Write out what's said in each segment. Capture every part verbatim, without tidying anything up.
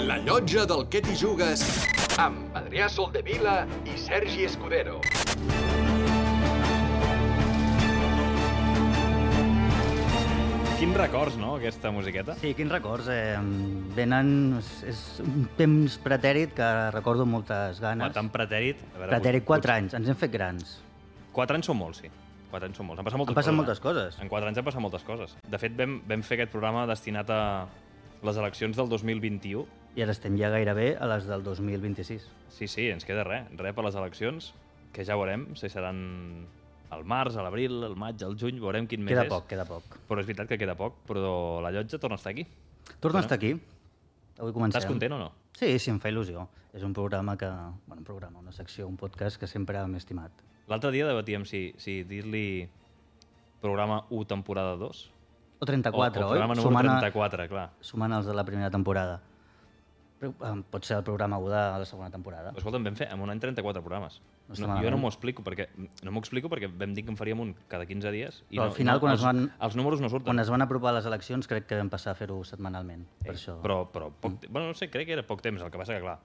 La llotja del Què t'hi jugues amb Adrià Soldevila i Sergi Escudero. Quins records, no, aquesta musiqueta? Sí, quins records. Eh, venen... És, és un temps pretèrit que recordo amb moltes ganes. Home, tan pretèrit... A veure, Pretèrit, pot- quatre pot- anys. Ens hem fet grans. Quatre anys són molts, sí. Quatre anys són molts. Han passat moltes Han passat coses. moltes coses. Eh? En quatre anys han passat moltes coses. De fet, vam, vam fer aquest programa destinat a les eleccions del dos mil vint-i-u. I ara estem ja gairebé a les del dos mil vint-i-sis. Sí, sí, ens queda res. Res per les eleccions, que ja veurem si seran al març, a l'abril, al maig, al juny, veurem quin mes Queda és. poc, queda poc. Però és veritat que queda poc, però la llotja torna a estar aquí. Torna Bueno. a estar aquí. Avui comencem. Estàs content o no? Sí, sí, em fa il·lusió. És un programa que... Bueno, un programa, una secció, un podcast que sempre m'he estimat. L'altre dia debatíem si, si dir-li programa u temporada dos O trenta-quatre, o, o programa oi? número Sumant a- trenta-quatre, clar. Sumant els de la primera temporada. Però, eh, pot ser el programa u de la segona temporada. Però escolta'm, vam fer en un any trenta-quatre programes. No està No, jo malament. no m'ho explico perquè no m'ho explico perquè vam dir que en faríem un cada quinze dies i Però no, al final, no, quan els, es van- els números no surten. Quan es van apropar les eleccions, crec que vam passar a fer-ho setmanalment. Per Eh, això... Però, però poc, mm. bueno, no sé, crec que era poc temps. El que passa que, clar,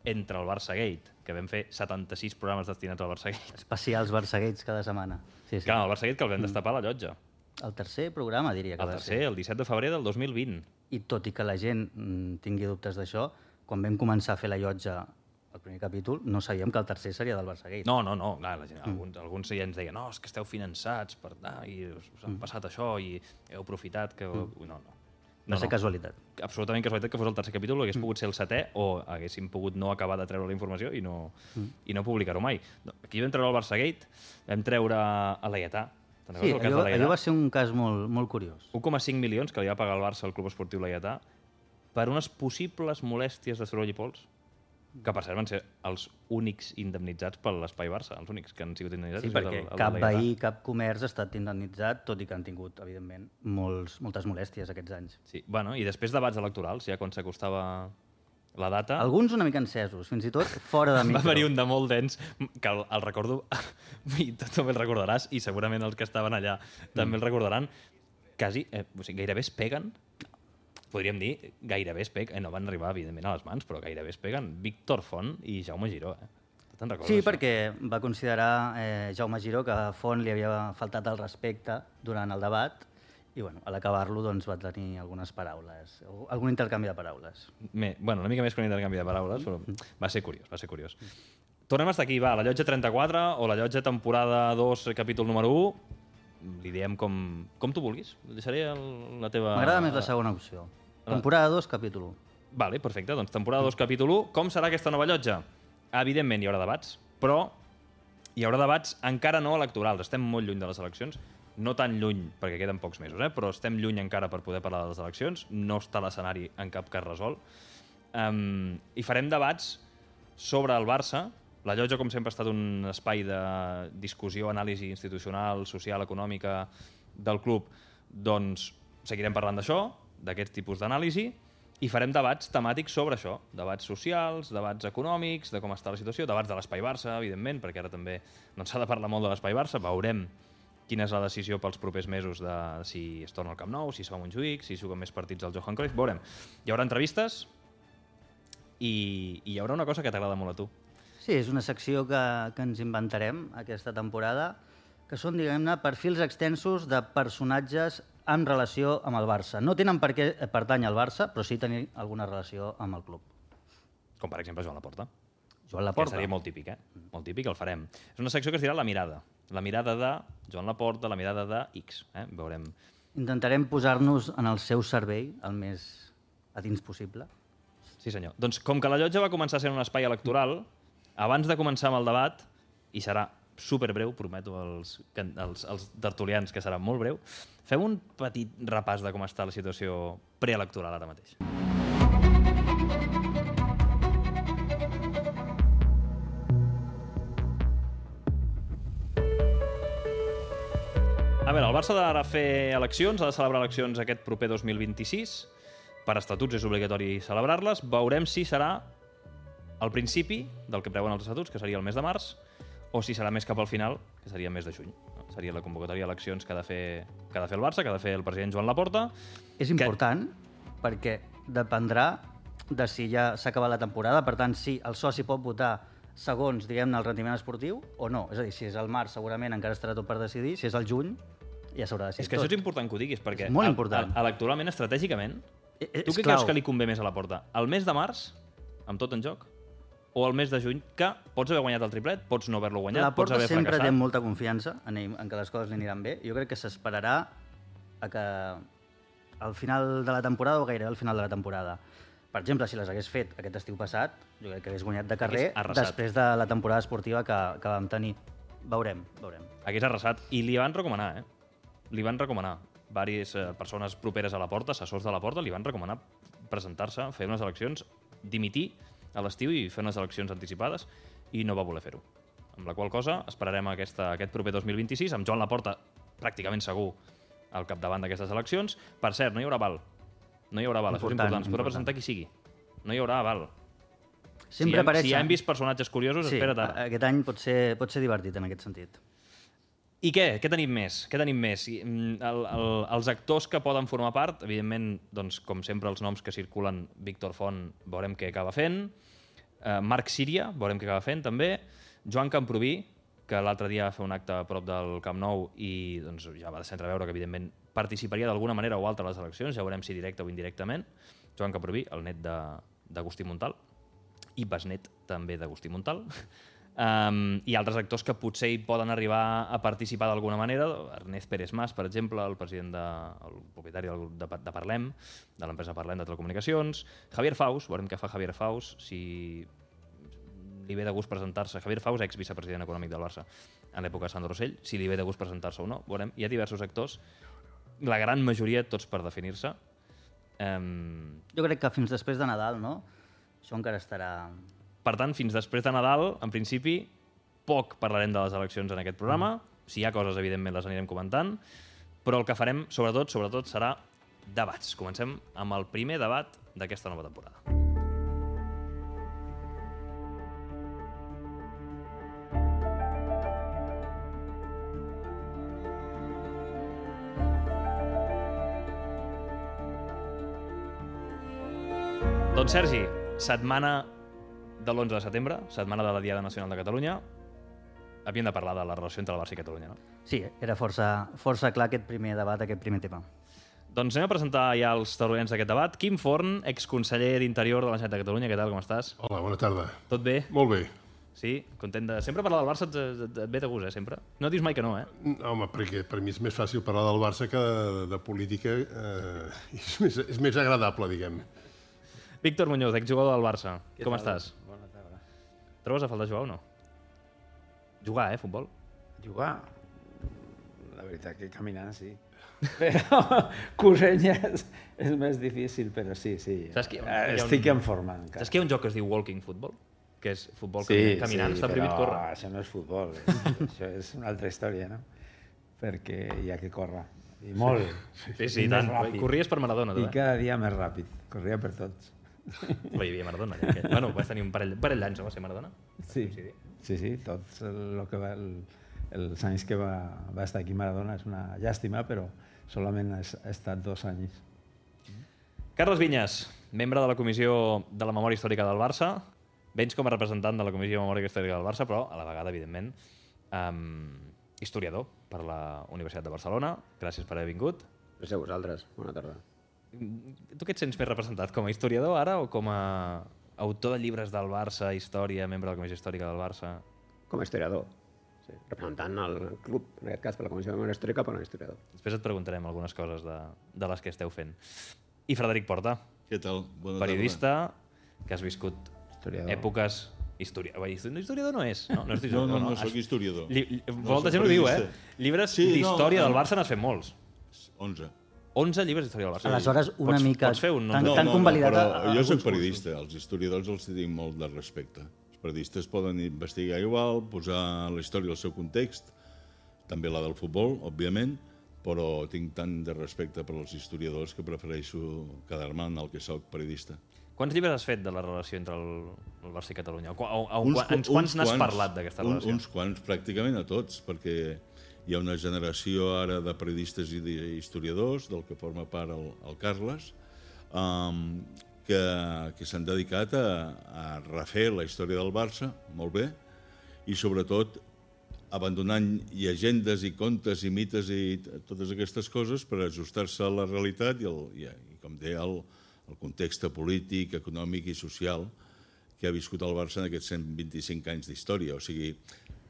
entre el Barça Gate, que vam fer setanta-sis programes destinats al Barça Gate, Especials Barçagueits cada setmana. Sí, sí. clar, el Barça Gate que el vam destapar a la llotja. El tercer programa, diria que El va tercer, ser. el disset de febrer del dos mil vint. I tot i que la gent mm, tingui dubtes d'això, quan vam començar a fer la llotja el primer capítol, no sabíem que el tercer seria del Barçagate. No, no, no, clar, la gent, alguns, alguns ja ens deien no, és que esteu finançats per... Ah, i us, us han passat això i heu aprofitat que... No, no. Va No, ser no. casualitat. Absolutament casualitat que fos el tercer capítol, hagués pogut ser el setè o haguéssim pogut no acabar de treure la informació i no, mm. i no publicar-ho mai. No, aquí vam treure el Barçagate, vam treure a l'Aietà. Te'n Sí, recordes el cas allò, de allò va l'Aietà? ser un cas molt, molt curiós. un coma cinc milions que li va pagar el Barça al Club Esportiu l'Aietà per unes possibles molèsties de soroll i pols, que per cert van ser els únics indemnitzats per l'Espai Barça, els únics que han sigut indemnitzats. Sí, han sigut perquè el- el de cap l'Aietà. veí, cap comerç ha estat indemnitzat, tot i que han tingut, evidentment, molts, moltes molèsties aquests anys. Sí, bueno, i després debats electorals, ja quan s'acostava la data... Alguns una mica encesos, fins i tot fora de Va micro. haver-hi un de molt dens, que el, el recordo, i tu també el recordaràs, i segurament els que estaven allà també el recordaran, quasi, eh, o sigui, gairebé es peguen, podríem dir, gairebé es peguen, eh, no van arribar, evidentment, a les mans, però gairebé es peguen Víctor Font i Jaume Giró. Eh? Tu te'n recordes, Sí, això? perquè va considerar eh, Jaume Giró que a Font li havia faltat el respecte durant el debat i bueno, a l'acabar-lo doncs, va tenir algunes paraules, o algun intercanvi de paraules. Me, bueno, una mica més que un intercanvi de paraules, però va ser curiós, va ser curiós. Tornem a estar aquí, va, la llotja trenta-quatre o la llotja temporada dos, capítol número u, li diem com, com tu vulguis. Deixaré el, la teva... M'agrada més la segona opció. Temporada dos, capítol u. Vale, perfecte. Doncs temporada dos, capítol u. Com serà aquesta nova llotja? Evidentment hi haurà debats, però hi haurà debats encara no electorals. Estem molt lluny de les eleccions. No tan lluny, perquè queden pocs mesos, eh? Però estem lluny encara per poder parlar de les eleccions. No està l'escenari en cap cas resolt. Um, I farem debats sobre el Barça. La llotja, com sempre, ha estat un espai de discussió, anàlisi institucional, social, econòmica del club. Doncs seguirem parlant d'això, d'aquest tipus d'anàlisi, i farem debats temàtics sobre això. Debats socials, debats econòmics, de com està la situació, debats de l'Espai Barça, evidentment, perquè ara també no s'ha de parlar molt de l'Espai Barça. Veurem quina és la decisió pels propers mesos de si es torna al Camp Nou, si es fa a Montjuïc, si juguen més partits al Johan Cruyff. Veurem. Hi haurà entrevistes i, i hi haurà una cosa que t'agrada molt a tu. Sí, és una secció que, que ens inventarem aquesta temporada, que són, diguem-ne, perfils extensos de personatges en relació amb el Barça. No tenen per què pertànyer al Barça, però sí tenir alguna relació amb el club. Com, per exemple, Joan Laporta. Joan Que Laporta. seria molt típic, eh? Molt típic, el farem. És una secció que es dirà La Mirada. La mirada de Joan Laporta, la mirada de X. Eh? Veurem. Intentarem posar-nos en el seu cervell el més a dins possible. Sí, senyor. Doncs com que la llotja va començar sent un espai electoral, abans de començar amb el debat, i serà superbreu, prometo als, als, als tertulians que serà molt breu, fem un petit repàs de com està la situació preelectoral ara mateix. A veure, el Barça ha de fer eleccions, ha de celebrar eleccions aquest proper dos mil vint-i-sis. Per estatuts és obligatori celebrar-les. Veurem si serà al principi del que preuen els estatuts, que seria el mes de març, o si serà més cap al final, que seria el mes de juny. Seria la convocatòria d'eleccions que ha de fer que ha de fer el Barça, que ha de fer el president Joan Laporta. És important perquè dependrà de si ja s'ha acabat la temporada. Per tant, si el soci pot votar segons, diguem-ne, el rendiment esportiu o no. És a dir, si és al març, segurament encara estarà tot per decidir. Si és al juny, ja s'haurà decidit És que tot. això és important que ho diguis, perquè És molt important. electoralment, estratègicament, Eh, eh, tu és què clau. creus que li convé més a la Porta? El mes de març, amb tot en joc, o el mes de juny, que pots haver guanyat el triplet, pots no haver-lo guanyat, La pots Porta haver sempre fracassat. té molta confiança en, ell, en que les coses li aniran bé. Jo crec que s'esperarà a que al final de la temporada o gairebé al final de la temporada. Per exemple, si les hagués fet aquest estiu passat, jo crec que hagués guanyat de carrer Hagués arrasat. després de la temporada esportiva que, que vam tenir. Veurem, veurem. Hagués arrasat. I li van recomanar, eh? Li van recomanar. Vàries eh, persones properes a la Porta, assessors de la Porta, li van recomanar presentar-se, fer unes eleccions, dimitir a l'estiu i fer unes eleccions anticipades, i no va voler fer-ho. Amb la qual cosa esperarem aquesta, aquest proper dos mil vint-i-sis, amb Joan Laporta pràcticament segur al capdavant d'aquestes eleccions. Per cert, no hi haurà aval. No hi haurà aval, això és Important, important. Es podrà important. presentar qui sigui. No hi haurà aval. Sempre si, hem, apareix... si ja hem vist personatges curiosos, sí, espera't ara. aquest any pot ser, pot ser divertit en aquest sentit. I què? Què tenim més? Què tenim més? I, mm, El, el, els actors que poden formar part, evidentment, doncs, com sempre, els noms que circulen, Víctor Font, veurem què acaba fent, eh, Marc Síria, veurem què acaba fent, també, Joan Camproví, que l'altre dia va fer un acte a prop del Camp Nou i doncs, ja va deixar entreveure que, evidentment, participaria d'alguna manera o altra a les eleccions, ja veurem si directe o indirectament. Joan Camproví, el net d'Agustí Montal, i besnet també d'Agustí Montal. Um, i altres actors que potser hi poden arribar a participar d'alguna manera. Ernest Pérez Mas, per exemple, el president de, el propietari del grup de, de Parlem, de l'empresa Parlem de Telecomunicacions. Javier Faus, veurem què fa Javier Faus, si li ve de gust presentar-se. Javier Faus, ex-vicepresident econòmic del Barça en l'època de Sandro Rossell, si li ve de gust presentar-se o no, veurem. Hi ha diversos actors, la gran majoria tots per definir-se. Um... Jo crec que fins després de Nadal, no? Això encara estarà... Per tant, fins després de Nadal, en principi, poc parlarem de les eleccions en aquest programa. Si hi ha coses, evidentment, les anirem comentant. Però el que farem, sobretot, sobretot serà debats. Comencem amb el primer debat d'aquesta nova temporada. Doncs, Sergi, setmana de l'onze de setembre, setmana de la Diada Nacional de Catalunya, havíem de parlar de la relació entre el Barça i Catalunya, no? Sí, era força, força clar aquest primer debat, aquest primer tema. Doncs anem a presentar ja els tertulians d'aquest debat. Quim Forn, exconseller d'Interior de la Generalitat de Catalunya, què tal, com estàs? Hola, bona tarda. Tot bé? Molt bé. Sí? Content de... Sempre parlar del Barça et, et, et ve de gust, eh, sempre? No dius mai que no, eh? Home, perquè per mi és més fàcil parlar del Barça que de, de política. Eh, és, més, és més agradable, diguem. Víctor Muñoz, exjugador del Barça. Què Com tal? estàs? Bona tarda. Trobes a faltar jugar o no? Jugar, eh, futbol? Jugar? La veritat que caminant sí. Però corrent és, és més difícil, però sí, sí. Saps que hi ha un- Eh, hi ha un- Estic en forma encara. Saps que hi ha un joc que es diu walking football? Que és futbol Sí, caminant, caminant sí, està prohibit però córrer. això no és futbol, eh? això és una altra història, no? Perquè hi ha que córrer. I molt. Sí, sí, I tant. més ràpid. Corries per Maradona, tu, I eh? cada dia més ràpid. Corria per tots. Home, hi havia Maradona. Ja, aquell. Bueno, vas tenir un parell, un parell d'anys, no va ser Maradona? Sí, sí, sí, tots el, lo que va, el, els anys que va, va estar aquí Maradona és una llàstima, però solament ha, ha estat dos anys. Carles Vinyes, membre de la Comissió de la Memòria Històrica del Barça. Vens com a representant de la Comissió de Memòria Històrica del Barça, però a la vegada, evidentment, um, historiador per la Universitat de Barcelona. Gràcies per haver vingut. Gràcies a vosaltres. Bona tarda. Tu què et sents més representat? Com a historiador ara o com a autor de llibres del Barça, història, membre de la Comissió Històrica del Barça? Com a historiador. Sí. Representant el club, en aquest cas per la Comissió de Memòria Històrica, però no historiador. Després et preguntarem algunes coses de, de les que esteu fent. I Frederic Porta, Què tal? Bona periodista, que has viscut Historiador. èpoques... Historia... Bé, historiador no és. No, no, és tarda. No, historiador, no, no, soc historiador. Li, li, No, molta soc gent ho diu, eh? periodista. Llibres Sí, no, d'història no. del Barça n'has fet molts. onze. onze llibres d'història del Barça. Aleshores, una pots, mica... Pots fer un... Tan- No, tan convalidat però a- a jo soc alguns periodista. Els historiadors els tinc molt de respecte. Els periodistes poden investigar igual, posar la història al seu context, també la del futbol, òbviament, però tinc tant de respecte per als historiadors que prefereixo quedar-me en el que soc periodista. Quants llibres has fet de la relació entre el, el Barça i Catalunya? O, o, o, Uns uns, qu- quants uns n'has quants, parlat d'aquesta un- relació? Uns quants, pràcticament a tots, perquè hi ha una generació ara de periodistes i d'historiadors, del que forma part el, el Carles. Um, que, que s'han dedicat a, a refer la història del Barça, molt bé, i sobretot abandonant llegendes i contes i mites i totes aquestes coses per ajustar-se a la realitat i, el, i, i com deia, el, el context polític, econòmic i social que ha viscut el Barça en aquests cent vint-i-cinc anys d'història. O sigui,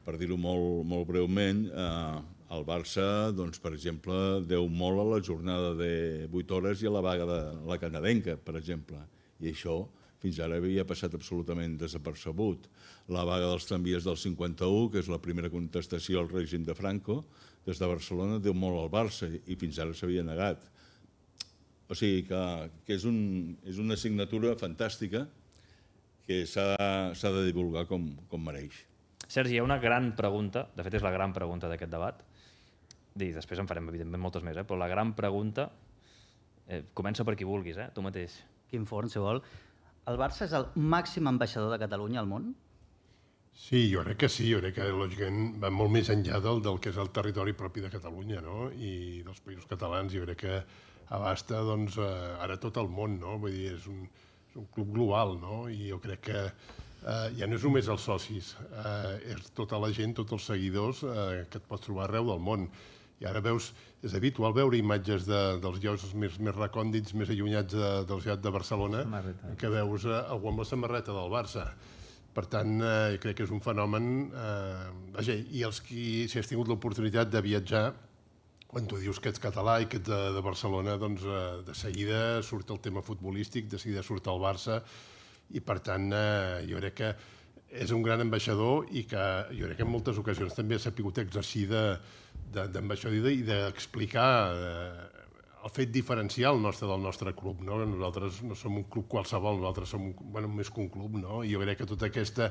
per dir-ho molt, molt breument, eh, el Barça, doncs, per exemple, deu molt a la jornada de vuit hores i a la vaga de la canadenca, per exemple. I això fins ara havia passat absolutament desapercebut. La vaga dels tramvies del cinquanta-u, que és la primera contestació al règim de Franco, des de Barcelona deu molt al Barça i fins ara s'havia negat. O sigui que, que és, un, és una assignatura fantàstica que s'ha de divulgar com, com mereix. Sergi, hi ha una gran pregunta, de fet és la gran pregunta d'aquest debat, i després en farem evidentment moltes més, eh? Però la gran pregunta, eh, comença per qui vulguis, eh? Tu mateix. Quin forn, si vol. El Barça és el màxim ambaixador de Catalunya al món? Sí, jo crec que sí, jo crec que lògicament va molt més enllà del, del que és el territori propi de Catalunya, no? I dels països catalans, jo crec que abasta doncs, ara tot el món, no? Vull dir, és un, és un club global, no? I jo crec que eh, ja no és només els socis, eh, és tota la gent, tots els seguidors eh, que et pots trobar arreu del món. I ara veus, és habitual veure imatges de, dels llocs més, més recòndits, més allunyats de, del ciutat de Barcelona, que veus eh, algú amb la samarreta del Barça. Per tant, eh, crec que és un fenomen... Eh, vaja, i els qui, si has tingut l'oportunitat de viatjar, quan tu dius que ets català i que ets de, de Barcelona, doncs eh, de seguida surt el tema futbolístic, de seguida surt el Barça, i per tant, eh, jo crec que és un gran ambaixador i que jo crec que en moltes ocasions també ha sabut exercir d'ambaixador i d'explicar eh, el fet diferencial nostre del nostre club, no? Nosaltres no som un club qualsevol, nosaltres som un, bueno, més que un club, no? I jo crec que tota aquesta,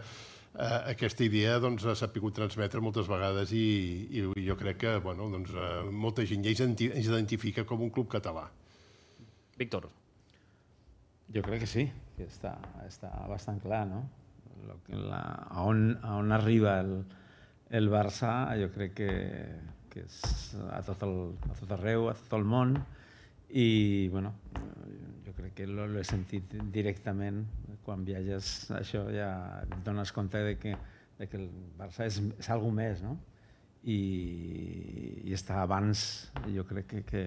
eh, aquesta idea doncs, s'ha pogut transmetre moltes vegades i, i jo crec que bueno, doncs, eh, molta gent ja ens identifica com un club català. Víctor. Jo crec que sí, que està, està bastant clar, no? Lo que la, a, on, a on arriba el, el Barça, jo crec que, que és a tot, el, a tot arreu, a tot el món, i bueno, jo crec que l'he sentit directament quan viatges, això ja et dones compte de que, de que el Barça és, és alguna més, no? I, i està abans, jo crec que, que,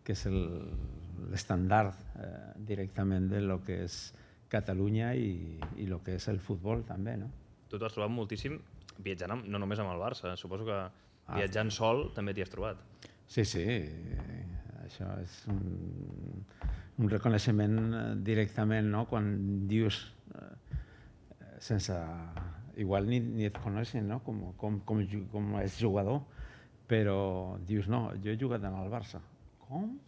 que és l'estandard eh, directament de lo que és Catalunya i, i el que és el futbol també, no? Tu t'ho has trobat moltíssim viatjant amb, no només amb el Barça, suposo que viatjant ah. sol també t'hi has trobat. Sí, sí, això és un, un reconeixement directament, no? Quan dius, eh, sense... Igual ni, ni et coneixen, no? Com, com, com, com és jugador, però dius, no, jo he jugat en el Barça. Com?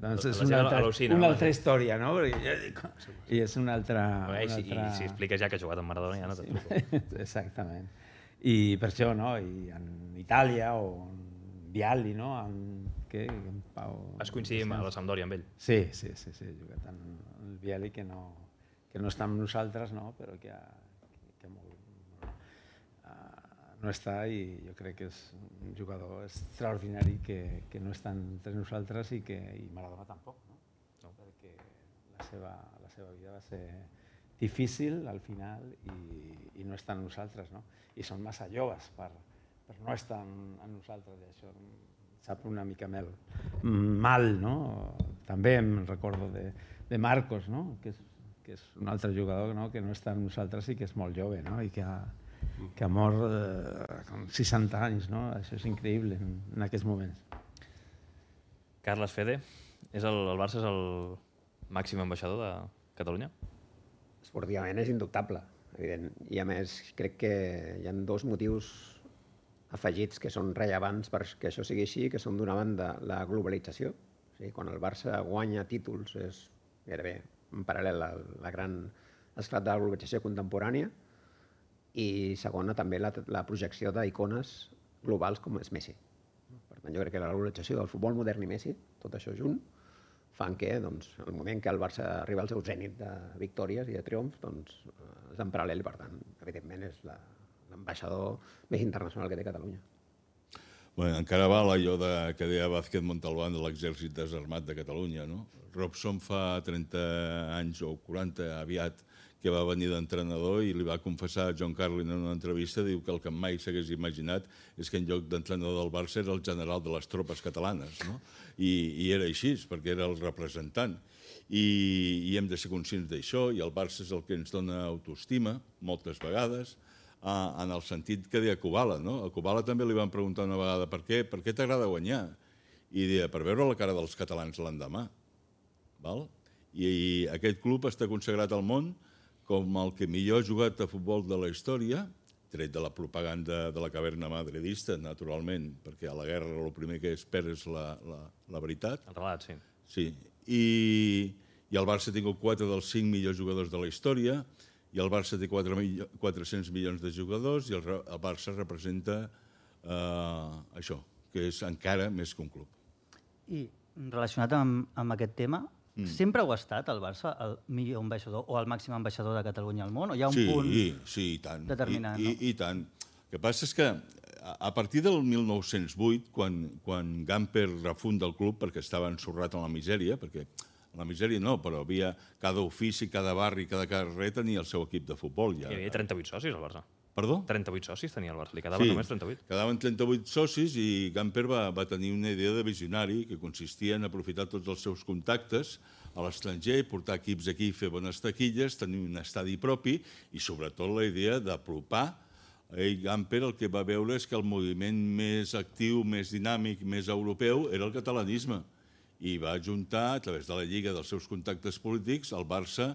Doncs és una altra, una altra història, no? I és una altra... I si, i si expliques ja que ha jugat amb Maradona ja no t'explico. Exactament. I per això, no? I en Itàlia o en Vialli, no? En, què? En Pau... Vas coincidir a la Sampdoria amb ell? Sí, sí, sí, sí. He jugat en el Vialli, que no, que no està amb nosaltres, no? Però que, ha, que molt, no està, i jo crec que és un jugador extraordinari que, que no està entre nosaltres i que i Maradona tampoc, no? No. Perquè la seva, la seva vida va ser difícil al final i, i no està en nosaltres, no? I són massa joves per, per no estar en, en nosaltres, i això sap una mica mel, mal, no? També em recordo de, de Marcos, no? Que és, que és un altre jugador, no? Que no està en nosaltres i que és molt jove, no? I que ha, que ha mort eh, amb seixanta anys, no? Això és increïble en, en aquests moments. Carles Fede, és el, el Barça és el màxim ambaixador de Catalunya? Esportivament és indubtable, evident. I a més crec que hi ha dos motius afegits que són rellevants perquè això sigui així, que són d'una banda la globalització. O sigui, quan el Barça guanya títols és gairebé en paral·lel a la gran esclat de la globalització contemporània, i segona també la, la projecció d'icones globals com és Messi. Per tant, jo crec que la globalització del futbol modern i Messi, tot això junt, fan que doncs, el moment que el Barça arriba al seu zènit de victòries i de triomfs doncs, és en paral·lel i per tant, evidentment, és l'ambaixador més internacional que té Catalunya. Bé, encara val allò de, que deia Vázquez Montalbán de l'exèrcit desarmat de Catalunya, no? Robson fa trenta anys o quaranta aviat que va venir d'entrenador i li va confessar a John Carlin en una entrevista, diu que el que mai s'hagués imaginat és que en lloc d'entrenador del Barça era el general de les tropes catalanes, no? I, i era així, perquè era el representant. I, i hem de ser conscients d'això, i el Barça és el que ens dona autoestima, moltes vegades, en el sentit que deia Kubala, no? A Kubala també li van preguntar una vegada per què, per què t'agrada guanyar? I deia, per veure la cara dels catalans l'endemà. Val? I, I aquest club està consagrat al món com el que millor ha jugat a futbol de la història, tret de la propaganda de la caverna madridista, naturalment, perquè a la guerra el primer que es perd és la, la, la veritat. El relat, sí. Sí, i, i el Barça ha tingut quatre dels cinc millors jugadors de la història, i el Barça té quatre-cents milions de jugadors i el, el Barça representa eh, això, que és encara més que un club. I relacionat amb, amb aquest tema, mm. sempre ho ha estat el Barça el millor ambaixador o el màxim ambaixador de Catalunya al món? O hi ha un sí, punt sí, i tant, determinant? I, i, no? i tant. El que passa és que a partir del mil nou-cents vuit, quan, quan Gamper refunda el club perquè estava ensorrat en la misèria, perquè la misèria no, però havia cada ofici, cada barri, cada carrer tenia el seu equip de futbol. Ja. Hi havia trenta-vuit socis al Barça. Perdó? trenta-vuit socis tenia el Barça, li quedaven sí, només trenta-vuit. Quedaven trenta-vuit socis i Gamper va, va tenir una idea de visionari que consistia en aprofitar tots els seus contactes a l'estranger, portar equips aquí, fer bones taquilles, tenir un estadi propi i sobretot la idea d'apropar. Ell, Gamper, el que va veure és que el moviment més actiu, més dinàmic, més europeu era el catalanisme. I va ajuntar, a través de la Lliga dels seus contactes polítics, el Barça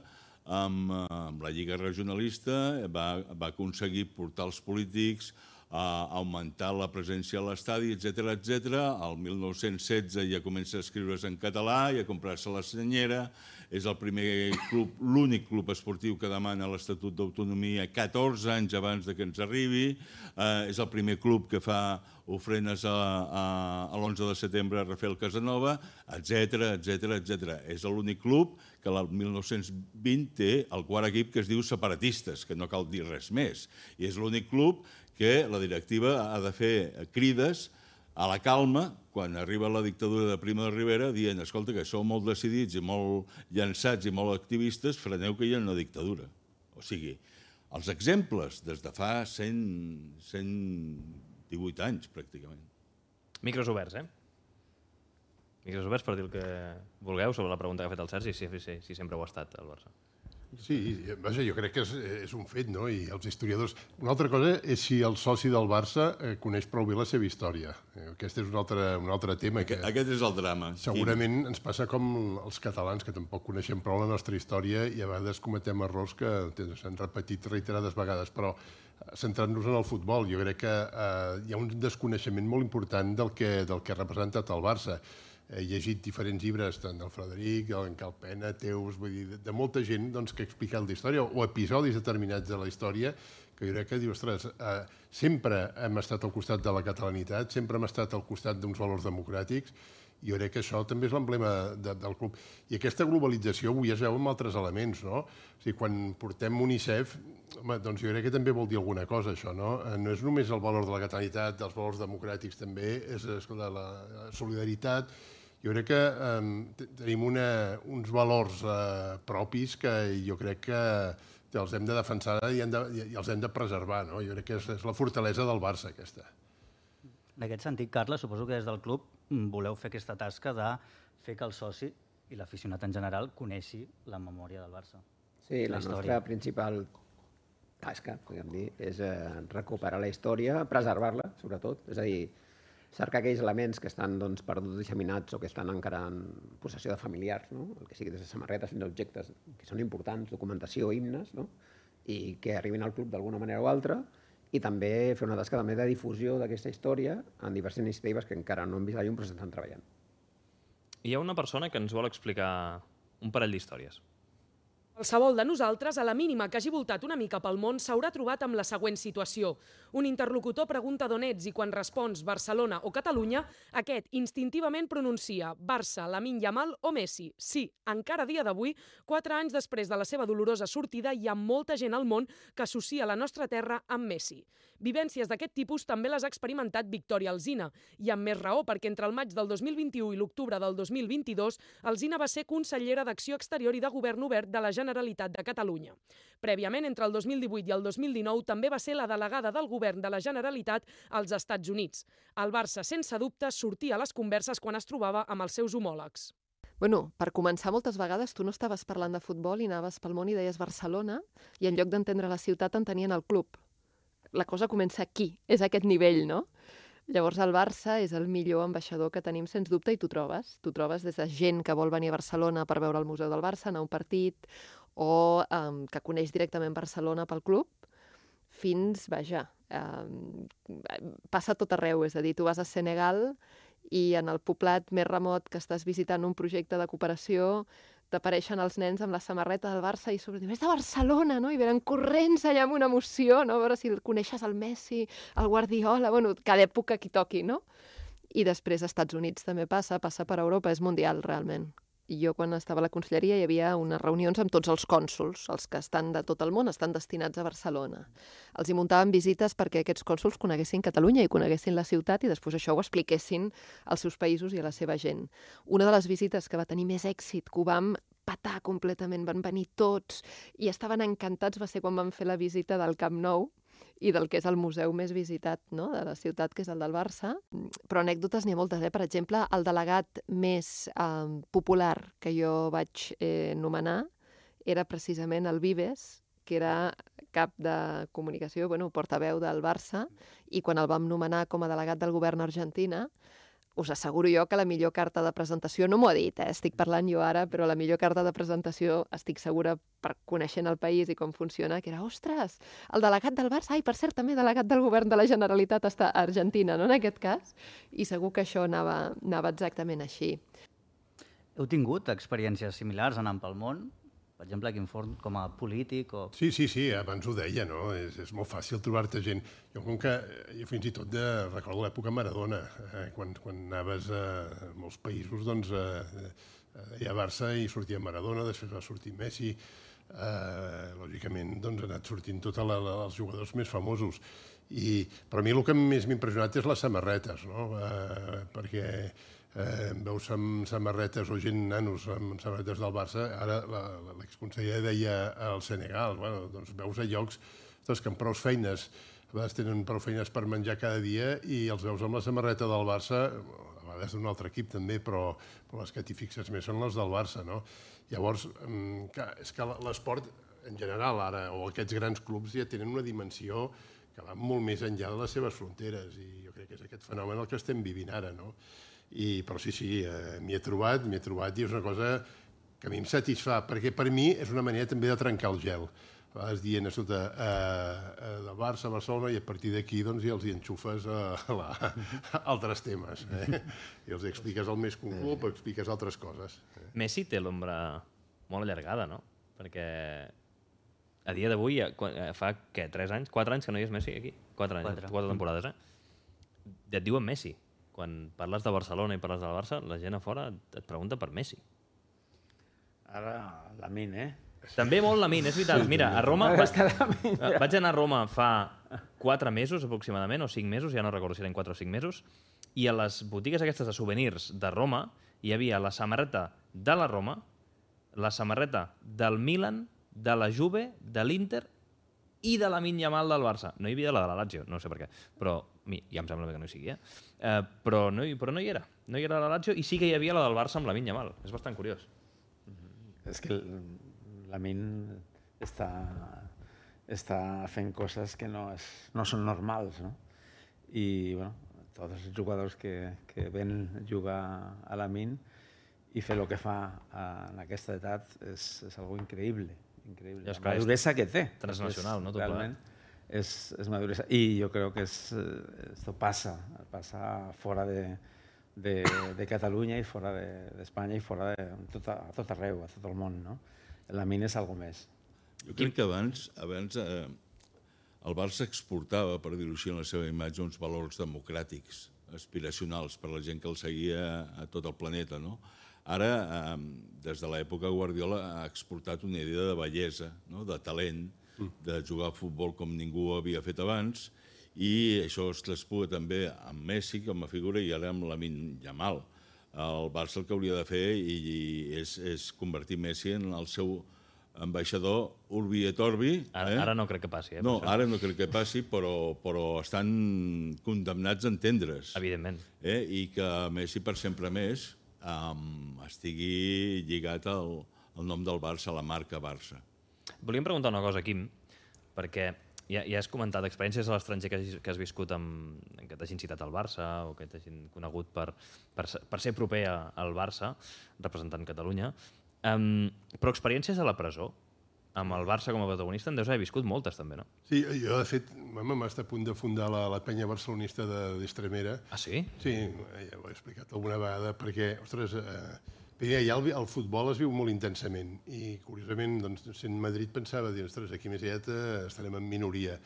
amb, amb la Lliga regionalista, va, va aconseguir portar els polítics a augmentar la presència a l'estadi, etcètera, etcètera. El mil nou-cents setze ja comença a escriure's en català i a comprar-se la senyera. És el primer club, l'únic club esportiu que demana l'Estatut d'Autonomia catorze anys abans de que ens arribi. Eh, és el primer club que fa ofrenes a, a, a l'onze de setembre a Rafael Casanova, etcètera, etcètera, etcètera. És l'únic club que el mil nou-cents vint té el quart equip que es diu separatistes, que no cal dir res més. I és l'únic club que la directiva ha de fer crides a la calma quan arriba la dictadura de Primo de Rivera dient, escolta, que sou molt decidits i molt llançats i molt activistes, freneu que hi ha una dictadura. O sigui, els exemples des de fa cent, cent divuit anys, pràcticament. Micros oberts, eh? Micros oberts per dir el que vulgueu sobre la pregunta que ha fet el Sergi, si, si, si sempre ho ha estat el Barça. Sí, vaja, jo crec que és, és un fet, no? I els historiadors... Una altra cosa és si el soci del Barça eh, coneix prou bé la seva història. Eh, aquest és un altre, un altre tema. Aquest, que aquest és el drama. Segurament ens passa com els catalans, que tampoc coneixem prou la nostra història i a vegades cometem errors que s'han repetit reiterades vegades, però centrant-nos en el futbol, jo crec que eh, hi ha un desconeixement molt important del que, del que ha representat el Barça. He llegit diferents llibres, tant del Frederic, en Calpena, Teus, vull dir, de, de molta gent doncs, que ha explicat la història, o episodis determinats de la història, que jo crec que diu, ostres, eh, sempre hem estat al costat de la catalanitat, sempre hem estat al costat d'uns valors democràtics, i jo crec que això també és l'emblema de, del club. I aquesta globalització avui es veu amb altres elements, no? O sigui, quan portem UNICEF, home, doncs jo crec que també vol dir alguna cosa, això, no? No és només el valor de la catalanitat, dels valors democràtics també, és escolta, la solidaritat. Jo crec que eh, tenim una, uns valors eh, propis que jo crec que els hem de defensar i, hem de, i els hem de preservar, no? Jo crec que és, és la fortalesa del Barça, aquesta. En aquest sentit, Carles, suposo que des del club voleu fer aquesta tasca de fer que el soci i l'aficionat en general coneixi la memòria del Barça. Sí, la, la nostra principal tasca, podríem dir, és eh, recuperar la història, preservar-la, sobretot. És a dir, cercar aquells elements que estan doncs, perduts, disseminats o que estan encara en possessió de familiars, no? El que sigui des de samarretes fins a objectes que són importants, documentació, himnes, no? I que arribin al club d'alguna manera o altra, i també fer una tasca també de difusió d'aquesta història en diverses iniciatives que encara no hem vist allà un procés estan treballant. Hi ha una persona que ens vol explicar un parell d'històries. Qualsevol de nosaltres, a la mínima que hagi voltat una mica pel món, s'haurà trobat amb la següent situació. Un interlocutor pregunta d'on ets i quan respons Barcelona o Catalunya, aquest instintivament pronuncia Barça, Lamine Yamal o Messi. Sí, encara a dia d'avui, quatre anys després de la seva dolorosa sortida, hi ha molta gent al món que associa la nostra terra amb Messi. Vivències d'aquest tipus també les ha experimentat Victòria Alsina, i amb més raó perquè entre el maig del dos mil vint-i-u i l'octubre del dos mil vint-i-dos Alsina va ser consellera d'Acció Exterior i de Govern Obert de la Generalitat de Catalunya. Prèviament, entre el dos mil divuit i el dos mil dinou, també va ser la delegada del Govern de la Generalitat als Estats Units. El Barça, sense dubte, sortia a les converses quan es trobava amb els seus homòlegs. Bueno, per començar, moltes vegades tu no estaves parlant de futbol i anaves pel món i deies Barcelona i en lloc d'entendre la ciutat entenien el club. La cosa comença aquí, és aquest nivell, no? Llavors el Barça és el millor ambaixador que tenim, sens dubte, i tu trobes. Tu trobes des de gent que vol venir a Barcelona per veure el Museu del Barça, anar a un partit, o um, que coneix directament Barcelona pel club, fins, vaja, um, passa tot arreu. És a dir, tu vas a Senegal i en el poblat més remot que estàs visitant un projecte de cooperació t'apareixen els nens amb la samarreta del Barça i sobre, és de Barcelona, no? I venen corrents allà amb una emoció, no? A veure si el coneixes el Messi, el Guardiola, bueno, cada època qui toqui, no? I després als Estats Units també passa, passa per Europa, és mundial realment. I jo quan estava a la conselleria hi havia unes reunions amb tots els cònsols, els que estan de tot el món estan destinats a Barcelona. Els hi muntaven visites perquè aquests cònsols coneguessin Catalunya i coneguessin la ciutat i després això ho expliquessin als seus països i a la seva gent. Una de les visites que va tenir més èxit, que ho vam patar completament, van venir tots i estaven encantats, va ser quan vam fer la visita del Camp Nou i del que és el museu més visitat, no?, de la ciutat, que és el del Barça. Però anècdotes n'hi ha moltes, eh? Per exemple, el delegat més eh, popular que jo vaig eh, nomenar era precisament el Vives, que era cap de comunicació, bueno, portaveu del Barça, i quan el vam nomenar com a delegat del govern argentina, us asseguro jo que la millor carta de presentació, no m'ho ha dit, eh? Estic parlant jo ara, però la millor carta de presentació, estic segura, per coneixent el país i com funciona, que era, ostres, el delegat del Barça, ai, per cert, també delegat del govern de la Generalitat està a Argentina, no?, en aquest cas, i segur que això anava, anava exactament així. Heu tingut experiències similars anant pel món? Per exemple, quin forn com a polític o... Sí, sí, sí, abans ho deia, no? És, és molt fàcil trobar-te gent. Jo, com que, jo fins i tot de, recordo l'època Maradona, eh, quan, quan anaves a molts països, doncs, eh, hi ha Barça i sortia Maradona, després va sortir Messi, eh, lògicament, doncs, ha anat sortint tots els jugadors més famosos. I, però a mi el que més m'ha impressionat és les samarretes, no? Eh, perquè Eh, veus amb samarretes o gent nanos amb samarretes del Barça, ara l'exconseller deia al Senegal, bueno, doncs veus a llocs doncs, que amb prou feines, a vegades tenen prou feines per menjar cada dia i els veus amb la samarreta del Barça, a vegades d'un altre equip també, però, però les que t'hi fixes més són les del Barça, no? Llavors, clar, és que l'esport en general ara, o aquests grans clubs ja tenen una dimensió que va molt més enllà de les seves fronteres i jo crec que és aquest fenomen el que estem vivint ara, no? I, però sí, sí, eh, m'hi he trobat, m'hi he trobat i és una cosa que a mi em satisfà, perquè per mi és una manera també de trencar el gel. A vegades dient, escolta, eh, del Barça a Barcelona i a partir d'aquí doncs, ja els hi enxufes a, a, a altres temes. Eh? I els expliques el més que un club, expliques altres coses. Eh? Messi té l'ombra molt allargada, no? Perquè a dia d'avui, fa, què, tres anys, quatre anys que no hi és Messi aquí? Quatre anys, quatre, quatre temporades, eh? Ja et diuen Messi. Quan parles de Barcelona i parles del Barça, la gent a fora et pregunta per Messi. Ara, Lamine, eh? També molt Lamine, és veritat. Mira, a Roma... Vaig anar a Roma fa quatre mesos, aproximadament, o cinc mesos, ja no recordo si eren quatre o cinc mesos, i a les botigues aquestes de souvenirs de Roma hi havia la samarreta de la Roma, la samarreta del Milan, de la Juve, de l'Inter i de la Lamine Yamal del Barça. No hi havia la de la Lazio, no sé per què, però ja em sembla que no hi sigui, eh? Uh, però, no hi, però no hi era. No hi era la Lazio i sí que hi havia la del Barça amb la Lamine Yamal. És bastant curiós. Mm-hmm. És que la Lamine està, està fent coses que no, és, no són normals, no? I, bueno, tots els jugadors que, que ven jugar a la Lamine i fer el que fa en aquesta edat és, és algo increïble. Increïble. La maduresa que té. Transnacional, no? Realment és, és maduresa. I jo crec que es, esto passa, passa fora de, de, de Catalunya i fora d'Espanya de, i fora de tot, a tot arreu, a tot el món, no? La mina és algo més. Jo crec que abans, abans eh, el Barça exportava, per dir-ho així, en la seva imatge, uns valors democràtics, aspiracionals, per la gent que el seguia a tot el planeta, no? Ara, eh, des de l'època Guardiola, ha exportat una idea de bellesa, no? De talent, de jugar a futbol com ningú havia fet abans, i això es traspua també amb Messi com a figura i ara amb Lamine Yamal. El Barça el que hauria de fer i és, és convertir Messi en el seu ambaixador Urbi et Orbi. Ara, eh? ara no crec que passi. Eh, no, ara no crec que passi, però, però estan condemnats a entendre's. Evidentment. Eh? I que Messi per sempre més um, estigui lligat al, al nom del Barça, a la marca Barça. Volíem preguntar una cosa, Quim, perquè ja, ja has comentat experiències a l'estranger que, has- que has viscut amb, que t'hagin citat al Barça o que t'hagin conegut per, per, ser- per ser proper a- al Barça, representant Catalunya. Um, però experiències a la presó, amb el Barça com a protagonista, en deus haver viscut moltes també, no? Sí, jo de fet, m'ha estat a punt de fundar la, la penya barcelonista d'Estremera. Ah, sí? Sí, ja ho he explicat alguna vegada, perquè, ostres, eh, primer, ja el, el futbol es viu molt intensament i, curiosament, doncs, sent Madrid pensava, dir, ostres, aquí més aviat eh, estarem en minoria.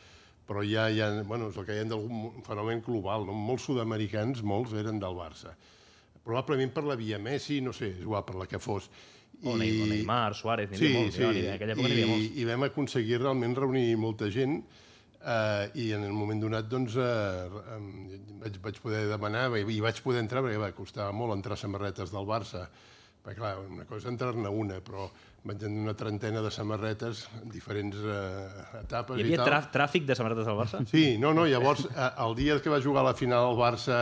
Però ja, ja bueno, és el que hi ha d'algun fenomen global, no? Molts sud-americans, molts eren del Barça. Probablement per la via Messi, no sé, és igual, per la que fos. O Ney- o Neymar, Suárez, n'hi sí, havia molts, sí. ja, n'hi- en aquella època n'hi havia molts. I, I vam aconseguir realment reunir molta gent eh, i en el moment donat doncs, eh, em, vaig, vaig poder demanar i vaig poder entrar perquè va, costava molt entrar samarretes del Barça. Perquè, clar, una cosa és entrar-ne una, però vaig tenir una trentena de samarretes en diferents eh, etapes Hi i havia tal. trà- tràfic de samarretes del Barça? Sí, no, no, llavors, eh, el dia que va jugar a la final el Barça...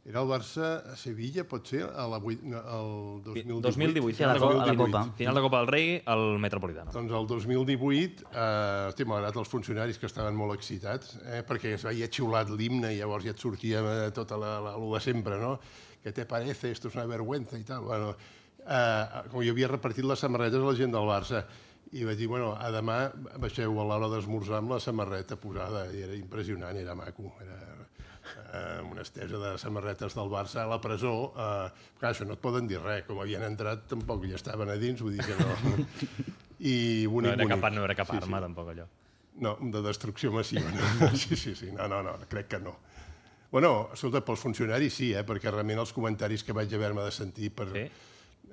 Era el Barça a Sevilla, pot ser, a la, vuit- no, el dos mil divuit? dos mil divuit, Sí, a la final, de, Co- a la final- Copa. final de Copa del Rei, al Metropolitano. Doncs el dos mil divuit, eh, hosti, malgrat els funcionaris que estaven molt excitats, eh, perquè es veia xiulat l'himne i llavors ja et sortia eh, tota la, la, lo de sempre, no? ¿Qué te parece? Esto es una vergüenza i tal. Bueno, eh, com jo havia repartit les samarretes a la gent del Barça i vaig dir, bueno, a demà baixeu a l'hora d'esmorzar amb la samarreta posada i era impressionant, era maco, era eh, una estesa de samarretes del Barça a la presó. Eh, clar, això no et poden dir res, com havien entrat tampoc ja estaven a dins, vull dir que no. I bonic, No era cap, bonic. no era cap Sí, arma, sí. tampoc, allò. No, de destrucció massiva. No? Sí, sí, sí. No, no, no, crec que no. Bueno, escolta, pels funcionaris sí, eh? Perquè realment els comentaris que vaig haver-me de sentir per, Sí?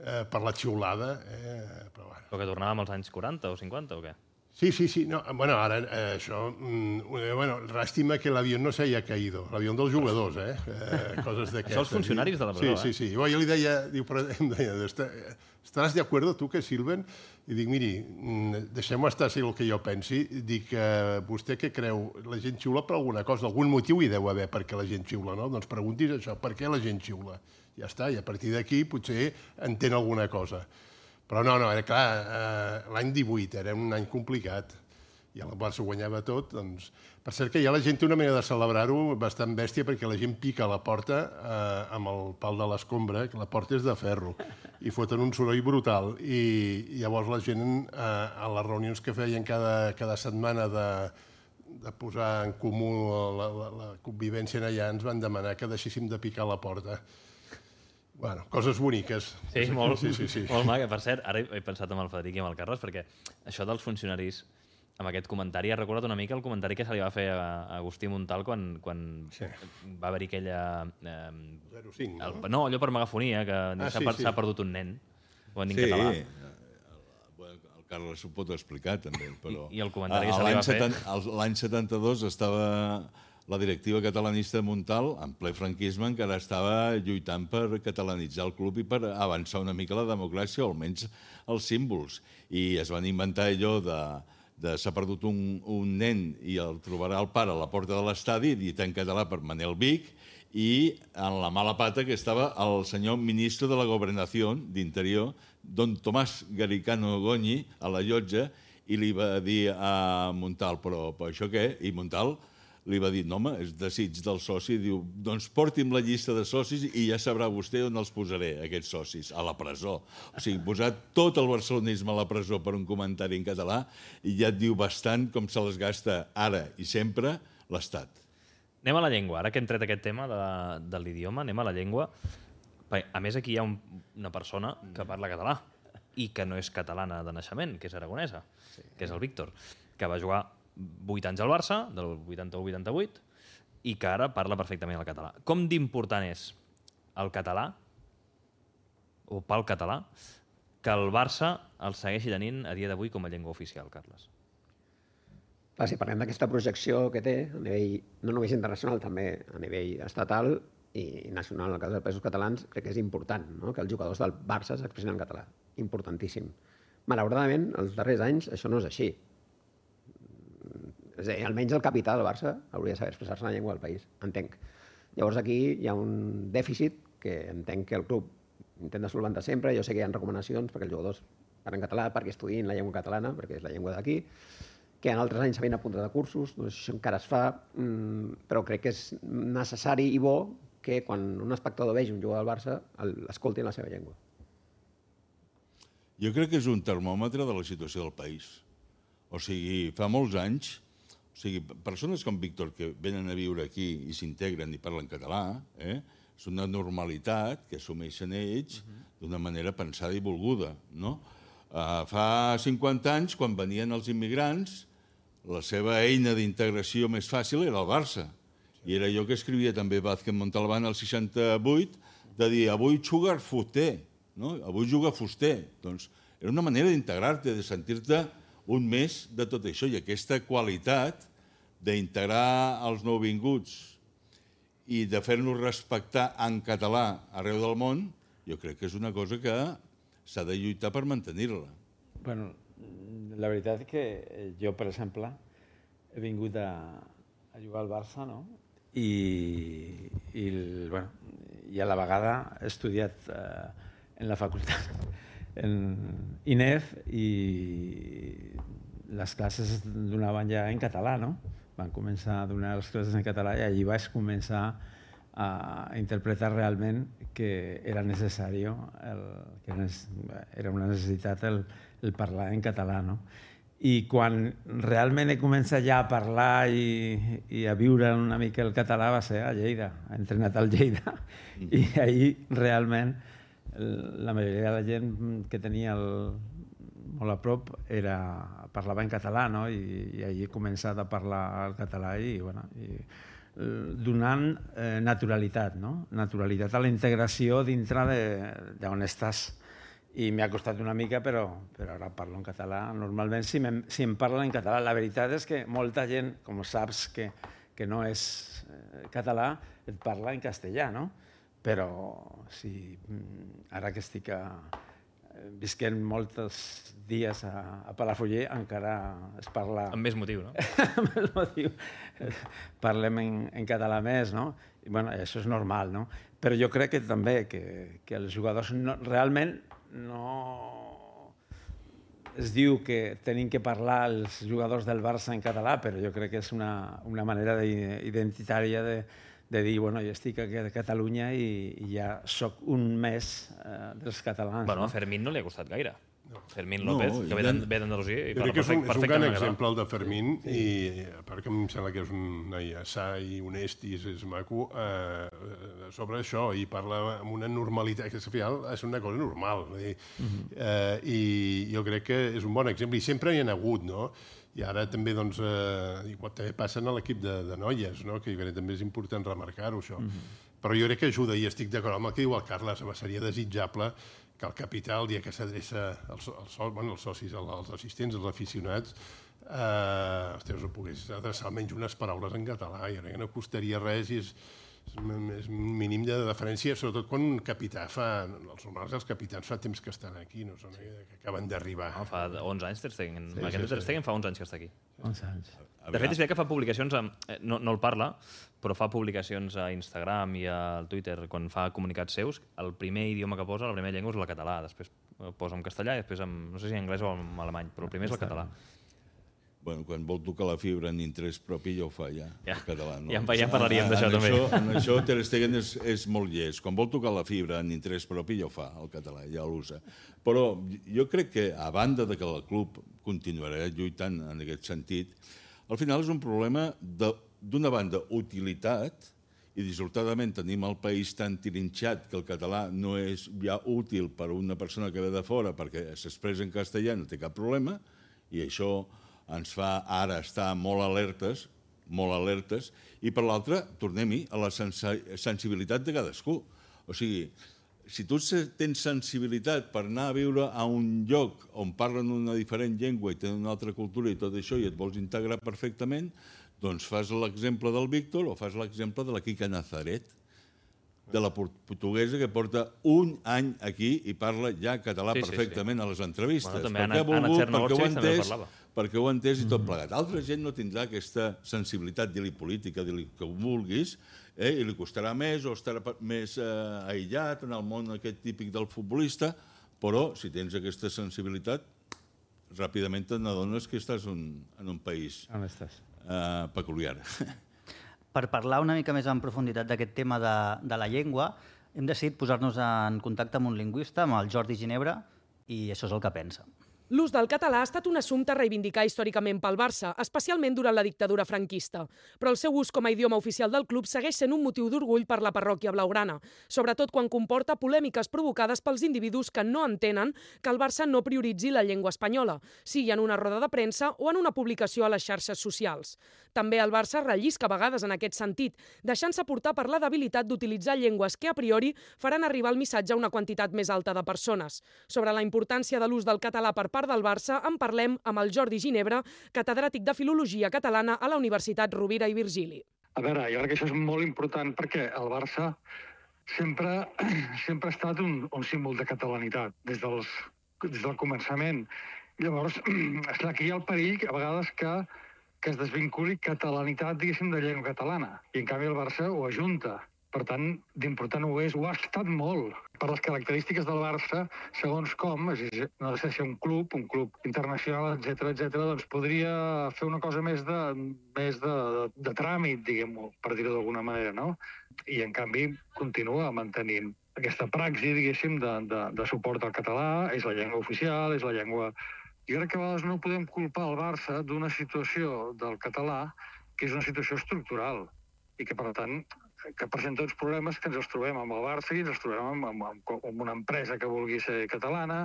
eh, per la xiulada... Eh, però bueno. Però que tornàvem als anys quaranta o cinquanta o què? Sí, sí, sí. No, bueno, ara eh, això... Mm, eh, bueno, lástima que l'avió no se haya caído. L'avió dels jugadors, eh? eh coses d'aquestes. Això els funcionaris de la presó, sí, eh? Sí, sí, Jo, jo li deia... Diu, però, em deia, ¿estás de acuerdo tu que silben? I dic, miri, mm, deixem-ho estar si el que jo pensi. Dic, eh, vostè què creu? La gent xiula per alguna cosa? Algun motiu hi deu haver perquè la gent xiula, no? Doncs preguntis això, per què la gent xiula? Ja està, i a partir d'aquí potser entén alguna cosa. Però no, no, era clar, eh, l'any divuit era un any complicat i el Barça guanyava tot, doncs... Per cert que ja la gent té una manera de celebrar-ho bastant bèstia perquè la gent pica a la porta eh, amb el pal de l'escombra, que la porta és de ferro, i foten un soroll brutal. I, i llavors la gent, eh, a les reunions que feien cada, cada setmana de, de posar en comú la, la, la convivència allà, ens van demanar que deixéssim de picar a la porta. Bueno, coses boniques. Sí, molt, sí, sí, sí. molt maca. Per cert, ara he pensat amb el Frederic i amb el Carles, perquè això dels funcionaris, amb aquest comentari, ha recordat una mica el comentari que se li va fer a a Agustí Montal quan, quan Sí. va haver-hi aquella... Eh, zero cinc, no? el, no, allò per megafonia, que Ah, s'ha sí, per, sí. s'ha perdut un nen. Ho han dit Sí, en català. el, el Carles ho pot explicar també, però... I- i el comentari que a- se li l'any va fer. seten- el- L'any setanta-dos estava la directiva catalanista de Montal, en ple franquisme, encara estava lluitant per catalanitzar el club i per avançar una mica la democràcia, o almenys els símbols. I es van inventar allò de, de s'ha perdut un, un nen i el trobarà el pare a la porta de l'estadi, dit en català per Manel Vic, i en la mala pata que estava el senyor ministre de la Governació d'Interior, don Tomàs Garicano Goñi, a la llotja, i li va dir a Montal, però, però això què? I Montal li va dir, no home, és desig del soci, diu, doncs porti'm la llista de socis i ja sabrà vostè on els posaré, aquests socis, a la presó. O sigui, posar tot el barcelonisme a la presó per un comentari en català i ja et diu bastant com se les gasta ara i sempre l'Estat. Anem a la llengua. Ara que hem tret aquest tema de, de l'idioma, anem a la llengua. Perquè, a més, aquí hi ha un, una persona que parla català i que no és catalana de naixement, que és aragonesa, sí. que és el Víctor, que va jugar vuit anys al Barça, del vuitanta-u vuitanta-vuit, i que ara parla perfectament el català. Com d'important és el català, o pel català, que el Barça el segueixi tenint a dia d'avui com a llengua oficial, Carles? Clar, si parlem d'aquesta projecció que té, a nivell no només internacional, també a nivell estatal i nacional, en el cas dels països catalans, crec que és important, no?, que els jugadors del Barça s'expressin en català. Importantíssim. Malauradament, els darrers anys, això no és així. És a dir, almenys el capità del Barça hauria de saber expressar-se en la llengua del país, entenc. Llavors aquí hi ha un dèficit que entenc que el club intenta solventar sempre. Jo sé que hi ha recomanacions perquè els jugadors parlen català, perquè estudiïn la llengua catalana, perquè és la llengua d'aquí, que en altres anys s'havien apuntat a cursos, doncs això encara es fa, però crec que és necessari i bo que quan un espectador vegi un jugador del Barça l'escolti en la seva llengua. Jo crec que és un termòmetre de la situació del país. O sigui, fa molts anys, o sigui, persones com Víctor que venen a viure aquí i s'integren i parlen català, eh? És una normalitat que assumeixen ells d'una manera pensada i volguda, no? Uh, fa cinquanta anys, quan venien els immigrants, la seva eina d'integració més fàcil era el Barça. I era jo que escrivia també Vázquez Montalbán al seixanta-vuit, de dir, avui juga Fuster, no? Avui juga Fuster. Doncs era una manera d'integrar-te, de sentir-te un més de tot això. I aquesta qualitat d'integrar els nouvinguts i de fer-nos respectar en català arreu del món, jo crec que és una cosa que s'ha de lluitar per mantenir-la. Bueno, la veritat és que jo, per exemple, he vingut a, a jugar al Barça, no? I, i, bueno, i a la vegada he estudiat eh, en la facultat, en I N E F, i les classes donaven ja en català, no? Van començar a donar les classes en català i allí vaig començar a interpretar realment que era necessari, el, que era una necessitat el, el parlar en català, no? I quan realment he començat ja a parlar i, i a viure una mica el català va ser a Lleida, he entrenat al Lleida, i ahir realment la majoria de la gent que tenia el, molt a prop era, parlava en català, no? I, i allí he començat a parlar el català i, bueno, i donant eh, naturalitat, no? Naturalitat a la integració dintre d'on estàs. I m'ha costat una mica, però, però ara parlo en català. Normalment, si, si em parlen en català, la veritat és que molta gent, com saps que, que no és eh, català, et parla en castellà, no? Però si ara que estic a, visquent molts dies a, a Palafrugell, encara es parla... Amb més motiu, no? Amb més motiu. Parlem en, en català més, no? I, bueno, això és normal, no? Però jo crec que també que, que els jugadors no, realment no... Es diu que tenim que parlar els jugadors del Barça en català, però jo crec que és una, una manera identitària de, de dir, bueno, jo estic aquí a Catalunya i, i ja soc un més eh, dels catalans. Bueno, no? A Fermín no li ha costat gaire. No. Fermín López, no, que ve d'Andalusia i parla perfectament. És un, és un gran exemple, el de Fermín, sí. I a part que em sembla que és un noi assà i honest i és, és maco, eh, sobre això, i parla amb una normalitat, que al final és una cosa normal. Dir, uh-huh. eh, I jo crec que és un bon exemple, i sempre hi ha hagut, no? I ara també, doncs, eh, igual també passen a l'equip de, de noies, no? Que jo crec que també és important remarcar-ho, això. Uh-huh. Però jo crec que ajuda, i estic d'acord amb el que diu el Carles, seria desitjable que el capità, el dia que s'adreça als, als, bueno, als socis, als assistents, als aficionats, eh, ostres, ho pogués adreçar almenys unes paraules en català, i no costaria res, i és, és un mínim de deferència, sobretot quan un capità fa... Els normals, els capitans fa temps que estan aquí, no són que acaben d'arribar. No, fa onze anys Ter Stegen. Sí, aquest sí, Ter Stegen fa onze anys que està aquí. onze anys. De fet, és veritat que fa publicacions, amb, no, no el parla, però fa publicacions a Instagram i al Twitter, quan fa comunicats seus, el primer idioma que posa, la primera llengua és el català, després posa en castellà i després, en, no sé si en anglès o en alemany, però el primer és el català. Bueno, quan vol tocar la fibra en interès propi ja ho fa, ja, ja. En català. No? Ja, ja en parlaríem d'això, també. Això, en això Ter Stegen és, és molt llest. Quan vol tocar la fibra en interès propi ja ho fa, el català, ja l'usa. Però jo crec que, a banda de que el club continuarà lluitant en aquest sentit, al final és un problema d'una banda utilitat, i dissortadament tenim el país tan tirinxat que el català no és ja útil per a una persona que ve de fora perquè s'expressa en castellà, no té cap problema, i això ens fa ara estar molt alertes, molt alertes, i per l'altra, tornem-hi a la sensibilitat de cadascú. O sigui, si tu tens sensibilitat per anar a viure a un lloc on parlen una diferent llengua i tenen una altra cultura i tot això i et vols integrar perfectament, doncs fas l'exemple del Víctor o fas l'exemple de la Quica Nazaret, de la portuguesa que porta un any aquí i parla ja català Sí, sí, perfectament sí. a les entrevistes. Bueno, també perquè ha Anna- Anna volgut, Chernovich perquè ho ha també entès, parlava. perquè ho ha entès i tot plegat. Altra gent no tindrà aquesta sensibilitat, dir-li política, dir-li que ho vulguis, eh? i li costarà més o estarà pa- més eh, aïllat en el món aquest típic del futbolista, però si tens aquesta sensibilitat, ràpidament te n'adones que estàs un, en un país On estàs? eh, peculiar. Per parlar una mica més en profunditat d'aquest tema de, de la llengua, hem decidit posar-nos en contacte amb un lingüista, amb el Jordi Ginebra, i això és el que pensa. L'ús del català ha estat un assumpte a reivindicar històricament pel Barça, especialment durant la dictadura franquista. Però el seu ús com a idioma oficial del club segueix sent un motiu d'orgull per la parròquia blaugrana, sobretot quan comporta polèmiques provocades pels individus que no entenen que el Barça no prioritzi la llengua espanyola, sigui en una roda de premsa o en una publicació a les xarxes socials. També el Barça rellisca a vegades en aquest sentit, deixant-se portar per la debilitat d'utilitzar llengües que a priori faran arribar el missatge a una quantitat més alta de persones. Sobre la importància de l'ús del català per part del Barça en parlem amb el Jordi Ginebra, catedràtic de Filologia Catalana a la Universitat Rovira i Virgili. A veure, jo crec que això és molt important perquè el Barça sempre, sempre ha estat un, un símbol de catalanitat des, dels, des del començament. Llavors, esclar, aquí hi ha el perill a vegades que, que es desvinculi catalanitat, diguéssim, de llengua catalana. I en canvi el Barça ho ajunta. Per tant, d'important ho és, ho ha estat molt. Per les característiques del Barça, segons com, és a dir, no ha de ser un club, un club internacional, etcètera, etcètera, doncs podria fer una cosa més de, més de, de, de tràmit, diguem-ho, per dir-ho d'alguna manera, no? I, en canvi, continua mantenint aquesta praxi, diguéssim, de, de, de suport al català, és la llengua oficial, és la llengua... Jo crec que a vegades no podem culpar el Barça d'una situació del català que és una situació estructural i que, per tant, que presenta uns problemes que ens els trobem amb el Barça i ens els trobem amb, amb, amb, amb una empresa que vulgui ser catalana,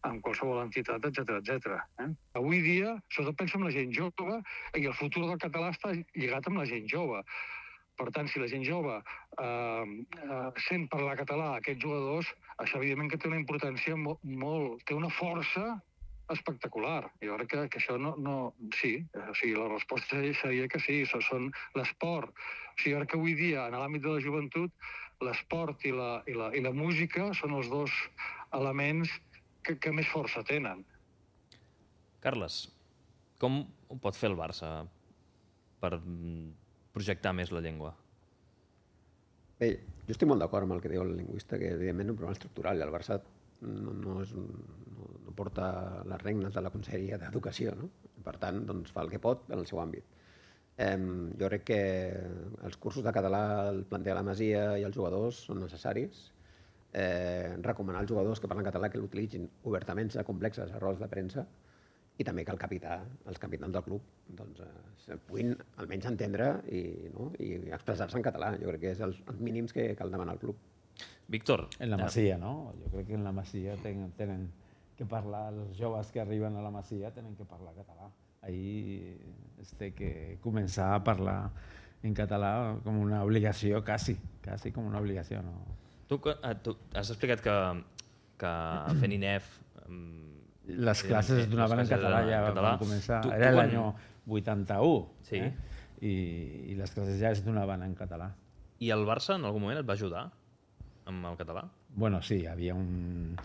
amb qualsevol entitat, etcètera, etcètera. Eh? Avui dia, sobretot penso en la gent jove, i el futur del català està lligat amb la gent jove. Per tant, si la gent jove eh, eh, sent parlar català a aquests jugadors, això evidentment que té una importància molt, molt té una força espectacular. Jo crec que, que això no, no... Sí, o sigui, la resposta seria que sí, això són l'esport. O sigui, jo crec que avui dia, en l'àmbit de la joventut, l'esport i la, i, la, i la música són els dos elements que, que més força tenen. Carles, com ho pot fer el Barça per projectar més la llengua? Bé, jo estic molt d'acord amb el que diu el lingüista, que evidentment és un problema estructural i el Barça no, no, és un, no, no porta les regnes de la Conselleria d'Educació, no? Per tant, doncs, fa el que pot en el seu àmbit. Eh, jo crec que els cursos de català, el planter de la Masia i els jugadors són necessaris. Eh, recomanar als jugadors que parlen català que l'utilitzin obertament, sense complexes, a rodes de premsa, i també que el capità, els capitans del club doncs, eh, puguin almenys entendre i, no? i expressar-se en català. Jo crec que és els, els mínims que cal demanar al club. Víctor. En la Masia, no? Jo crec que en la Masia tenen, tenen que parlar, els joves que arriben a la Masia tenen que parlar català. Ahí es té que començar a parlar en català com una obligació, quasi, quasi com una obligació. No? Tu, tu has explicat que, que fent I N E F... Les classes es donaven en català, ja van començar, tu, era l'any vuitanta-u, sí. eh? I, i les classes ja es donaven en català. I el Barça en algun moment et va ajudar amb el català? Bueno, sí, hi havia un,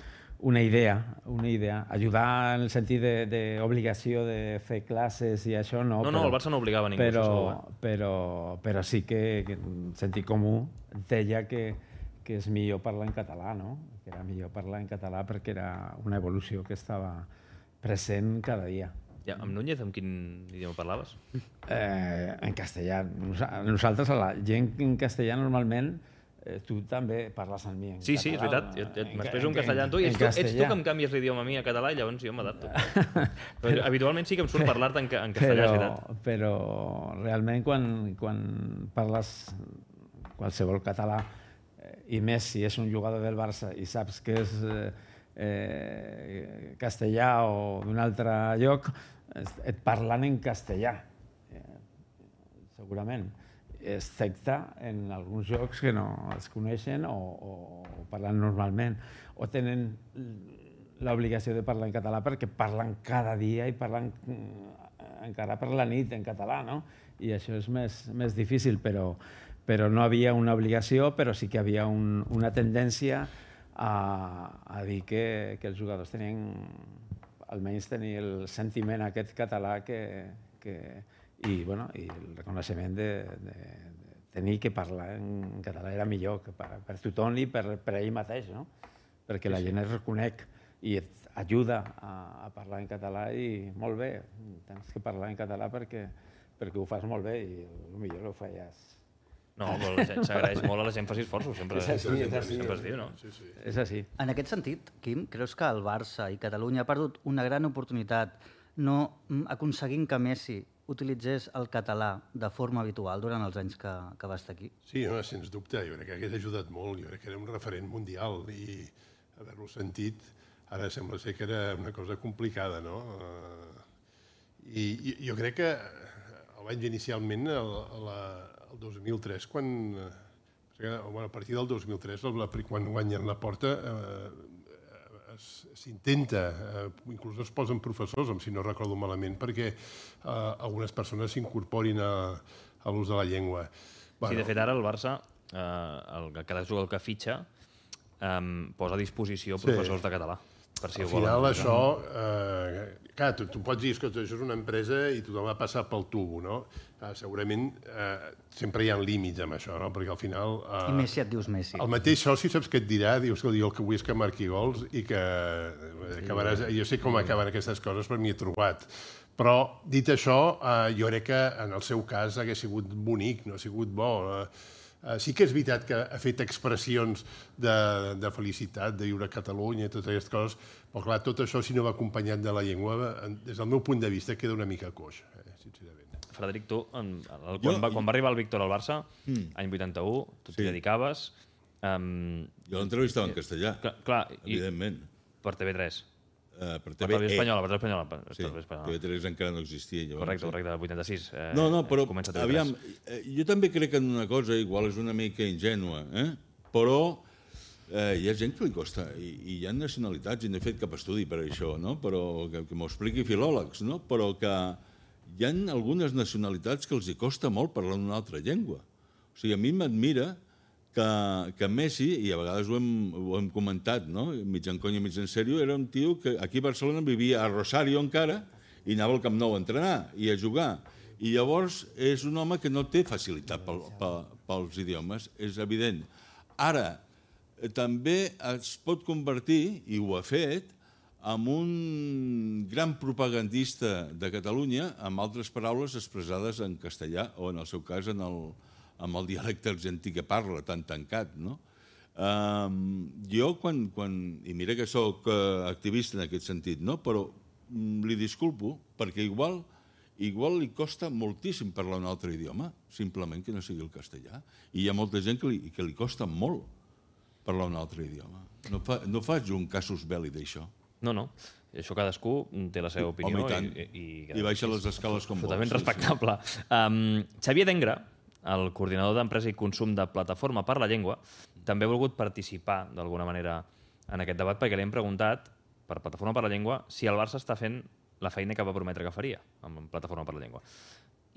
una idea, una idea. Ajudar en el sentit d'obligació de, de fer classes i això no. No, però, no, el Barça no obligava ningú. Però, això segur, eh? però, però sí que, que sentit comú deia que, que és millor parlar en català, no? Que era millor parlar en català perquè era una evolució que estava present cada dia. Ja, amb Núñez, amb quin idioma parlaves? Eh, en castellà. Nosaltres, a la gent en castellà, normalment, eh, tu també parles amb mi en sí, català. Sí, és veritat. Jo, jo m'expreso en castellà amb tu i ets tu, ets tu que em canvies l'idioma a mi a català i llavors jo m'adapto. Però habitualment sí que em surt parlar-te en, en castellà, però, és veritat. Però realment quan, quan parles qualsevol català, i més si és un jugador del Barça i saps que és eh, eh, castellà o d'un altre lloc, et parlen en castellà, eh, segurament. excepte en alguns jocs que no es coneixen o, o, o parlen normalment, o tenen l'obligació de parlar en català perquè parlen cada dia i parlen encara per la nit en català, no? I això és més, més difícil, però, però no havia una obligació, però sí que havia un, una tendència a, a dir que, que els jugadors tenien, almenys tenir el sentiment aquest català que, que, i, bueno, i el reconeixement de, de, de tenir que parlar en català era millor que per, per tothom i per, per ell mateix, no? Perquè la gent es reconec i et ajuda a, a parlar en català i molt bé, tens que parlar en català perquè, perquè ho fas molt bé i potser ho feies. No, s'agraeix molt a la gent faci esforços, sempre, és així, és així. sempre es diu, no? Sí, sí. És així. En aquest sentit, Quim, creus que el Barça i Catalunya ha perdut una gran oportunitat no aconseguint que Messi utilitzés el català de forma habitual durant els anys que, que va estar aquí? Sí, no, sens dubte, jo crec que hagués ajudat molt, jo crec que era un referent mundial i haver-lo sentit ara sembla ser que era una cosa complicada, no? I, i jo crec que el vaig inicialment el, el, el dos mil tres, quan, bueno, a partir del dos mil tres, quan guanyen la Porta, eh, s'intenta, eh, inclús es posen professors, si no recordo malament, perquè eh, algunes persones s'incorporin a, a l'ús de la llengua. Bueno, sí, de fet, ara el Barça, eh, el, cada jugador que fitxa, eh, posa a disposició professors sí. de català. Per si al final volen, això, eh, clar, tu, tu pots dir que això és una empresa i tothom va passar pel tubo, no? Eh, segurament eh, sempre hi ha límits amb això, no? Perquè al final... Eh, I Messi et dius Messi. El mateix soci saps què et dirà? Dius que el que vull és que marqui gols i que sí. acabaràs... Jo sé com acaben aquestes coses, però m'hi he trobat. Però, dit això, eh, jo crec que en el seu cas hagués sigut bonic, no ha sigut bo. Eh, Uh, sí que és veritat que ha fet expressions de, de felicitat, de viure a Catalunya i totes aquestes coses, però clar, tot això, si no va acompanyat de la llengua, des del meu punt de vista, queda una mica coix, eh, sincerament. Frederic, tu, en, el, quan, jo, va, quan va arribar el Víctor al Barça, mm. any vuitanta-u, tu t'hi sí. dedicaves... Um, jo l'entrevistava en castellà, clar, clar, evidentment. Per T V tres. Uh, per T V E. Espanyola, per T V Espanyola. Per sí, T V tres encara no existia. Llavors, correcte, sí. correcte, el vuitanta-sis. Eh, no, no, però, aviam, eh, jo també crec en una cosa, igual és una mica ingènua, eh? però eh, hi ha gent que li costa, i, i hi ha nacionalitats, i no he fet cap estudi per això, no? però que, que m'ho expliqui filòlegs, no? però que hi ha algunes nacionalitats que els hi costa molt parlar una altra llengua. O sigui, a mi m'admira que, que Messi, i a vegades ho hem, ho hem comentat, no? mig en conya, mig en sèrio, era un tio que aquí a Barcelona vivia a Rosario encara i anava al Camp Nou a entrenar i a jugar. I llavors és un home que no té facilitat pel, pel, pels idiomes, és evident. Ara, també es pot convertir, i ho ha fet, en un gran propagandista de Catalunya, amb altres paraules expressades en castellà, o en el seu cas en el amb el dialecte argentí que parla, tan tancat, no? Um, jo, quan, quan... I mira que sóc uh, activista en aquest sentit, no? Però um, li disculpo, perquè igual, igual li costa moltíssim parlar un altre idioma, simplement que no sigui el castellà. I hi ha molta gent que li, que li costa molt parlar un altre idioma. No, fa, no faig un casus belli d'això. No, no. Això cadascú té la seva opinió. Home, i tant. I, i, I baixa les escales com vol. Totalment respectable. Sí, sí. Um, Xavier Dengra, el coordinador d'Empresa i Consum de Plataforma per la Llengua, també ha volgut participar d'alguna manera en aquest debat perquè li hem preguntat, per Plataforma per la Llengua, si el Barça està fent la feina que va prometre que faria amb Plataforma per la Llengua.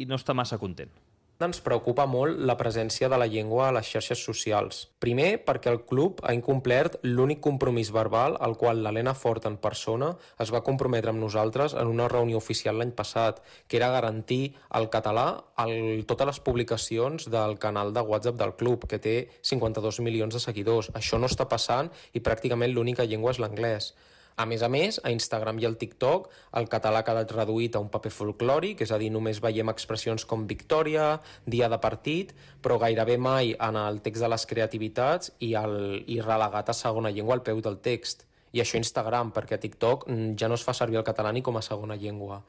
I no està massa content. Ens preocupa molt la presència de la llengua a les xarxes socials. Primer, perquè el club ha incomplert l'únic compromís verbal al qual l'Helena Fort en persona es va comprometre amb nosaltres en una reunió oficial l'any passat, que era garantir el català a totes les publicacions del canal de WhatsApp del club, que té cinquanta-dos milions de seguidors. Això no està passant i pràcticament l'única llengua és l'anglès. A més a més, a Instagram i al TikTok, el català ha quedat reduït a un paper folclòric, és a dir, només veiem expressions com victòria, dia de partit, però gairebé mai en el text de les creativitats i, el, i relegat a segona llengua al peu del text. I això a Instagram, perquè a TikTok ja no es fa servir el català ni com a segona llengua.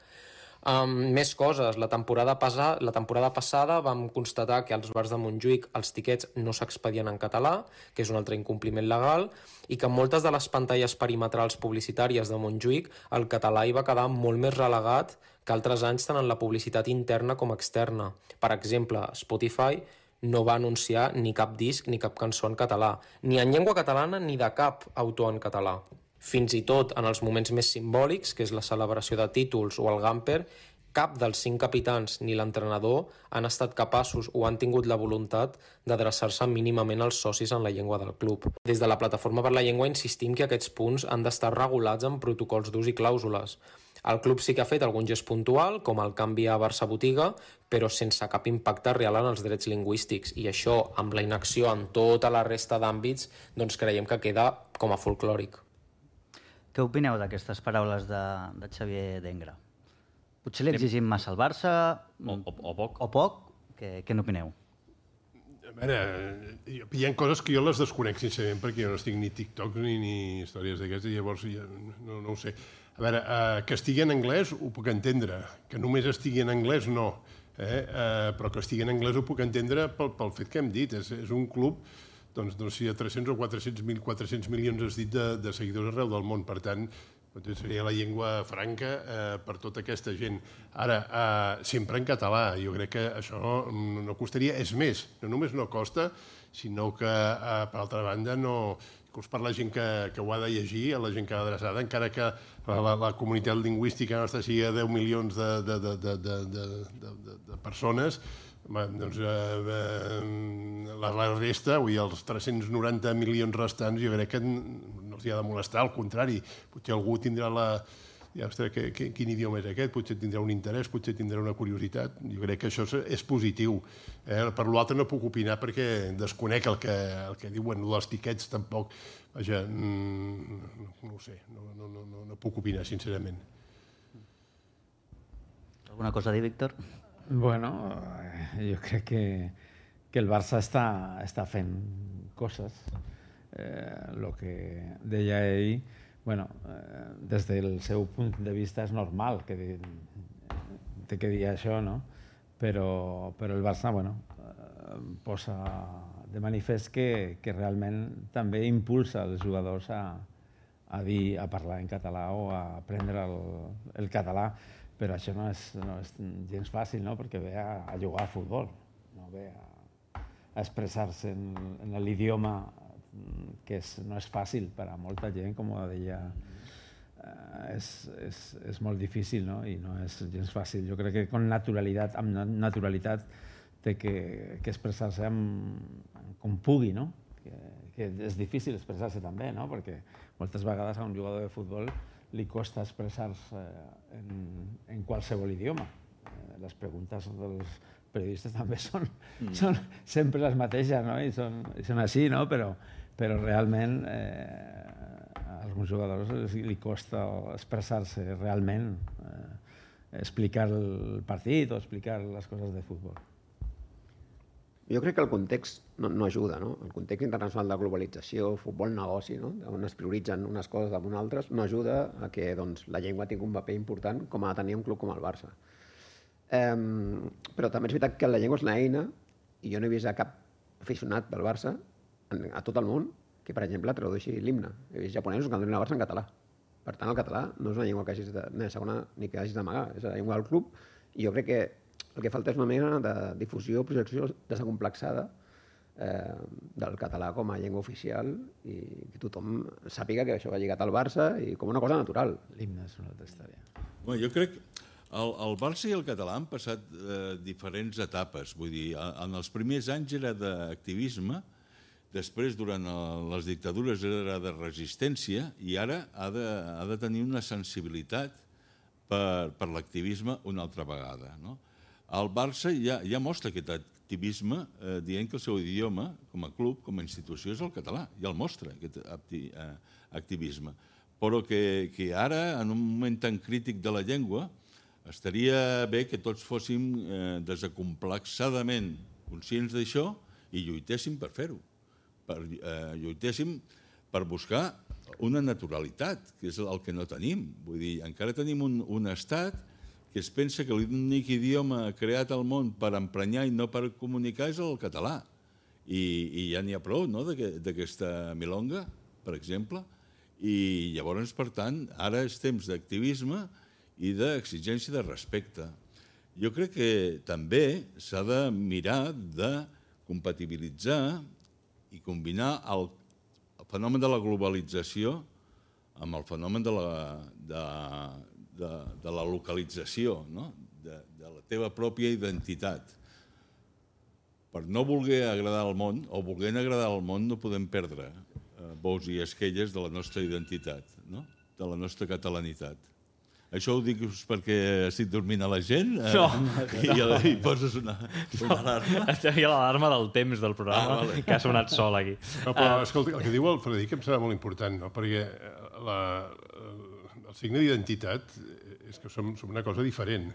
Um, més coses. La temporada, pasa, la temporada passada vam constatar que als bars de Montjuïc els tiquets no s'expedien en català, que és un altre incompliment legal, i que en moltes de les pantalles perimetrals publicitàries de Montjuïc el català hi va quedar molt més relegat que altres anys tant en la publicitat interna com externa. Per exemple, Spotify no va anunciar ni cap disc ni cap cançó en català, ni en llengua catalana ni de cap autor en català. Fins i tot en els moments més simbòlics, que és la celebració de títols o el Gamper, cap dels cinc capitans ni l'entrenador han estat capaços o han tingut la voluntat d'adreçar-se mínimament als socis en la llengua del club. Des de la Plataforma per la Llengua insistim que aquests punts han d'estar regulats en protocols d'ús i clàusules. El club sí que ha fet algun gest puntual, com el canvi a Barça Botiga, però sense cap impacte real en els drets lingüístics. I això, amb la inacció en tota la resta d'àmbits, doncs creiem que queda com a folclòric. Què opineu d'aquestes paraules de, de Xavier Dengra? Potser li exigim massa al Barça... O, o, o poc. O poc? Què, què n'opineu? A veure, hi ha coses que jo les desconec, sincerament, perquè jo no estic ni TikTok ni, ni històries d'aquestes, i llavors ja, no, no ho sé. A veure, eh, que estigui en anglès ho puc entendre, que només estigui en anglès no, eh? Eh, però que estigui en anglès ho puc entendre pel, pel fet que hem dit. És, és un club, doncs, doncs si hi ha tres-cents o quatre-cents mil, quatre-cents milions has dit de, de seguidors arreu del món, per tant, seria la llengua franca eh, per tota aquesta gent. Ara, eh, sempre en català, jo crec que això no, no costaria, és més, no només no costa, sinó que, eh, per altra banda, no... inclús per la gent que, que ho ha de llegir, a la gent que ha adreçada, encara que la, la comunitat lingüística nostra sigui deu milions de, de, de, de, de, de, de, de persones, doncs eh, la, la resta, vull dir, els tres-cents noranta milions restants, jo crec que no els hi ha de molestar, al contrari, potser algú tindrà la... Ja, ostres, que, que, quin idioma és aquest? Potser tindrà un interès, potser tindrà una curiositat. Jo crec que això és, és positiu. Eh? Per l'altre no puc opinar perquè desconec el que, el que diuen dels tiquets, tampoc. Vaja, mm, no ho sé, no, no, no, no puc opinar, sincerament. Alguna cosa a dir, Víctor? Bueno, jo crec que, que el Barça està, està fent coses. Eh, lo que deia ell, bueno, eh, des del seu punt de vista és normal que té que dir això, no? Però, però el Barça, bueno, eh, posa de manifest que, que realment també impulsa els jugadors a, a dir, a parlar en català o a aprendre el, el català, però això no és, no és gens fàcil, no? Perquè ve a, a jugar a futbol, no ve a, a expressar-se en, en l'idioma que és, no és fàcil per a molta gent, com deia, eh, és, és, és molt difícil, no? I no és gens fàcil. Jo crec que con naturalitat, amb naturalitat té que, que expressar-se amb, com pugui, no? Que, que és difícil expressar-se també, no? Perquè moltes vegades a un jugador de futbol li costa expressar-se en, en qualsevol idioma. Eh, les preguntes dels periodistes també són, mm. són sempre les mateixes, no? I són, i són així, no? Però, però realment eh, a alguns jugadors li costa expressar-se realment, eh, explicar el partit o explicar les coses de futbol. Jo crec que el context no, no ajuda, no? El context internacional de globalització, futbol negoci, no? On es prioritzen unes coses damunt altres, no ajuda a que doncs, la llengua tingui un paper important com ha de tenir un club com el Barça. Um, però també és veritat que la llengua és una eina i jo no he vist a cap aficionat del Barça a tot el món que, per exemple, tradueixi l'himne. He vist japonesos que canten el Barça en català. Per tant, el català no és una llengua que hagis de, ni segona ni que hagis d'amagar, és la llengua del club, i jo crec que el que falta és una mena de difusió, projecció desacomplexada eh, del català com a llengua oficial i que tothom sàpiga que això va lligat al Barça i com una cosa natural. L'himne és una altra història. Bueno, jo crec que el, el Barça i el català han passat eh, diferents etapes. Vull dir, en els primers anys era d'activisme, després, durant el, les dictadures, era de resistència i ara ha de, ha de tenir una sensibilitat per, per l'activisme una altra vegada, no? El Barça ja, ja mostra aquest activisme eh, dient que el seu idioma, com a club, com a institució, és el català. Ja el mostra, aquest acti, eh, activisme. Però que, que ara, en un moment tan crític de la llengua, estaria bé que tots fóssim eh, desacomplexadament conscients d'això i lluitéssim per fer-ho. Per, eh, lluitéssim per buscar una naturalitat, que és el que no tenim. Vull dir, encara tenim un, un estat que es pensa que l'únic idioma creat al món per emprenyar i no per comunicar és el català. I, i ja n'hi ha prou, no?, d'aquesta milonga, per exemple. I llavors, per tant, ara és temps d'activisme i d'exigència de respecte. Jo crec que també s'ha de mirar de compatibilitzar i combinar el fenomen de la globalització amb el fenomen de la, de, de, de la localització, no?, de, de la teva pròpia identitat. Per no voler agradar al món, o volent agradar al món, no podem perdre eh, bous i esquelles de la nostra identitat, no?, de la nostra catalanitat. Això ho dic perquè estic dormint a la gent? No. I, no. I poses una, una alarma? Hi ha l'alarma del temps del programa, ah, vale. que ha sonat sol aquí. No, però, escolta, el que diu el Frederic em serà molt important, no? Perquè la, el signe d'identitat és que som, som una cosa diferent.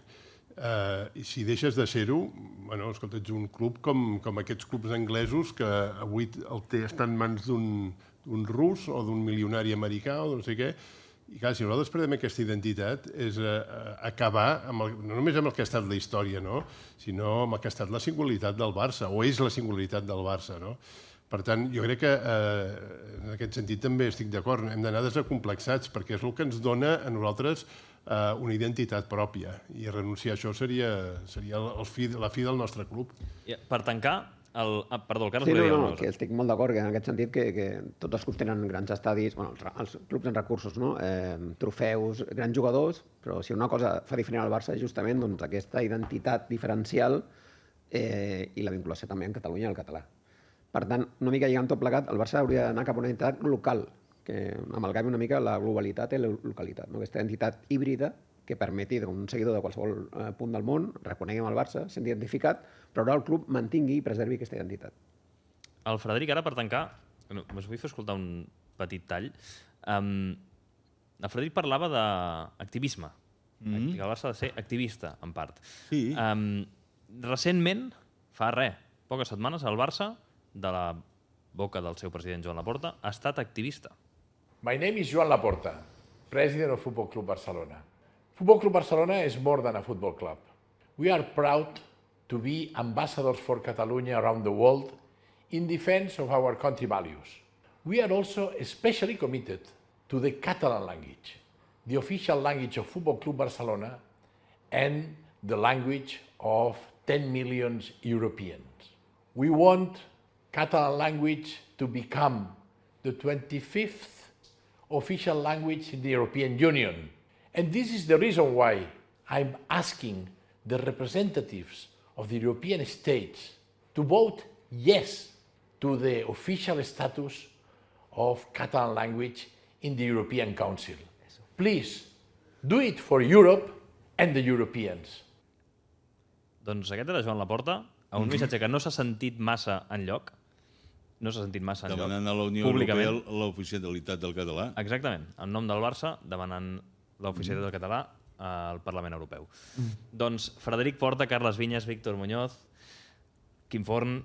Uh, I si deixes de ser-ho, bueno, escolta, ets un club com, com aquests clubs anglesos que avui el té, està en mans d'un rus o d'un milionari americà o no sé què. I clar, si nosaltres perdem aquesta identitat és uh, acabar amb el, no només amb el que ha estat la història, no?, sinó amb el que ha estat la singularitat del Barça, o és la singularitat del Barça, no? Per tant, jo crec que eh, en aquest sentit també estic d'acord. Hem d'anar desacomplexats perquè és el que ens dona a nosaltres eh, una identitat pròpia. I renunciar a això seria, seria el fi, la fi del nostre club. Per tancar, el... Ah, perdó, el Carles sí, volia dir no, alguna no, cosa. que estic molt d'acord que en aquest sentit que, que tots els clubs tenen grans estadis, bueno, els, els clubs en recursos, no? eh, trofeus, grans jugadors, però si una cosa fa diferent al Barça és justament doncs, aquesta identitat diferencial eh, i la vinculació també en Catalunya i el català. Per tant, una mica lligant tot plegat, el Barça hauria d'anar cap a una identitat local, que amalgami una mica la globalitat i la localitat, no? Aquesta identitat híbrida que permeti que un seguidor de qualsevol eh, punt del món reconeguem el Barça, sent identificat, però ara el club mantingui i preservi aquesta identitat. El Frederic, ara per tancar, no, us vull fer escoltar un petit tall. Um, el Frederic parlava d'activisme. Mm-hmm. Que el Barça ha de ser activista, en part. Sí. Um, recentment, fa res, poques setmanes, el Barça, de la boca del seu president Joan Laporta, ha estat activista. My name is Joan Laporta, president of Football Club Barcelona. Football Club Barcelona is more than a football club. We are proud to be ambassadors for Catalonia around the world in defense of our country values. We are also especially committed to the Catalan language, the official language of Football Club Barcelona and the language of ten million Europeans. We want Catalan language to become the twenty-fifth official language in the European Union. And this is the reason why I'm asking the representatives of the European states to vote yes to the official status of Catalan language in the European Council. Please, do it for Europe and the Europeans. Doncs aquest era Joan Laporta, a un missatge que no s'ha sentit massa enlloc, no s'ha sentit massa enlloc. Demanant a la Unió Europea l'oficialitat del català. Exactament, en nom del Barça, demanant l'oficialitat del català al Parlament Europeu. Mm. Doncs Frederic Porta, Carles Vinyes, Víctor Muñoz, Quim Forn,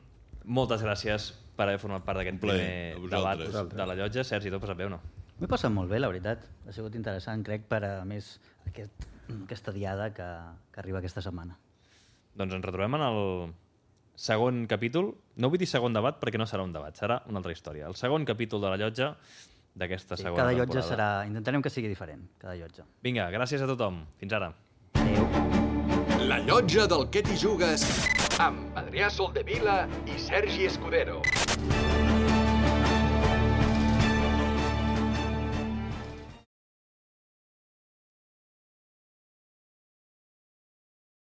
moltes gràcies per haver format part d'aquest primer debat de la llotja. Sergi, tu passat bé o no? M'he passat molt bé, la veritat. Ha sigut interessant, crec, per a més aquest, aquesta diada que, que arriba aquesta setmana. Doncs ens retrobem en el segon capítol. No vull dir segon debat perquè no serà un debat, serà una altra història. El segon capítol de la llotja d'aquesta sí, segona cada temporada. Llotja serà... Intentarem que sigui diferent, cada llotja. Vinga, gràcies a tothom. Fins ara. Adéu. La llotja del Què t'hi jugues amb Adrià Soldevila i Sergi Escudero.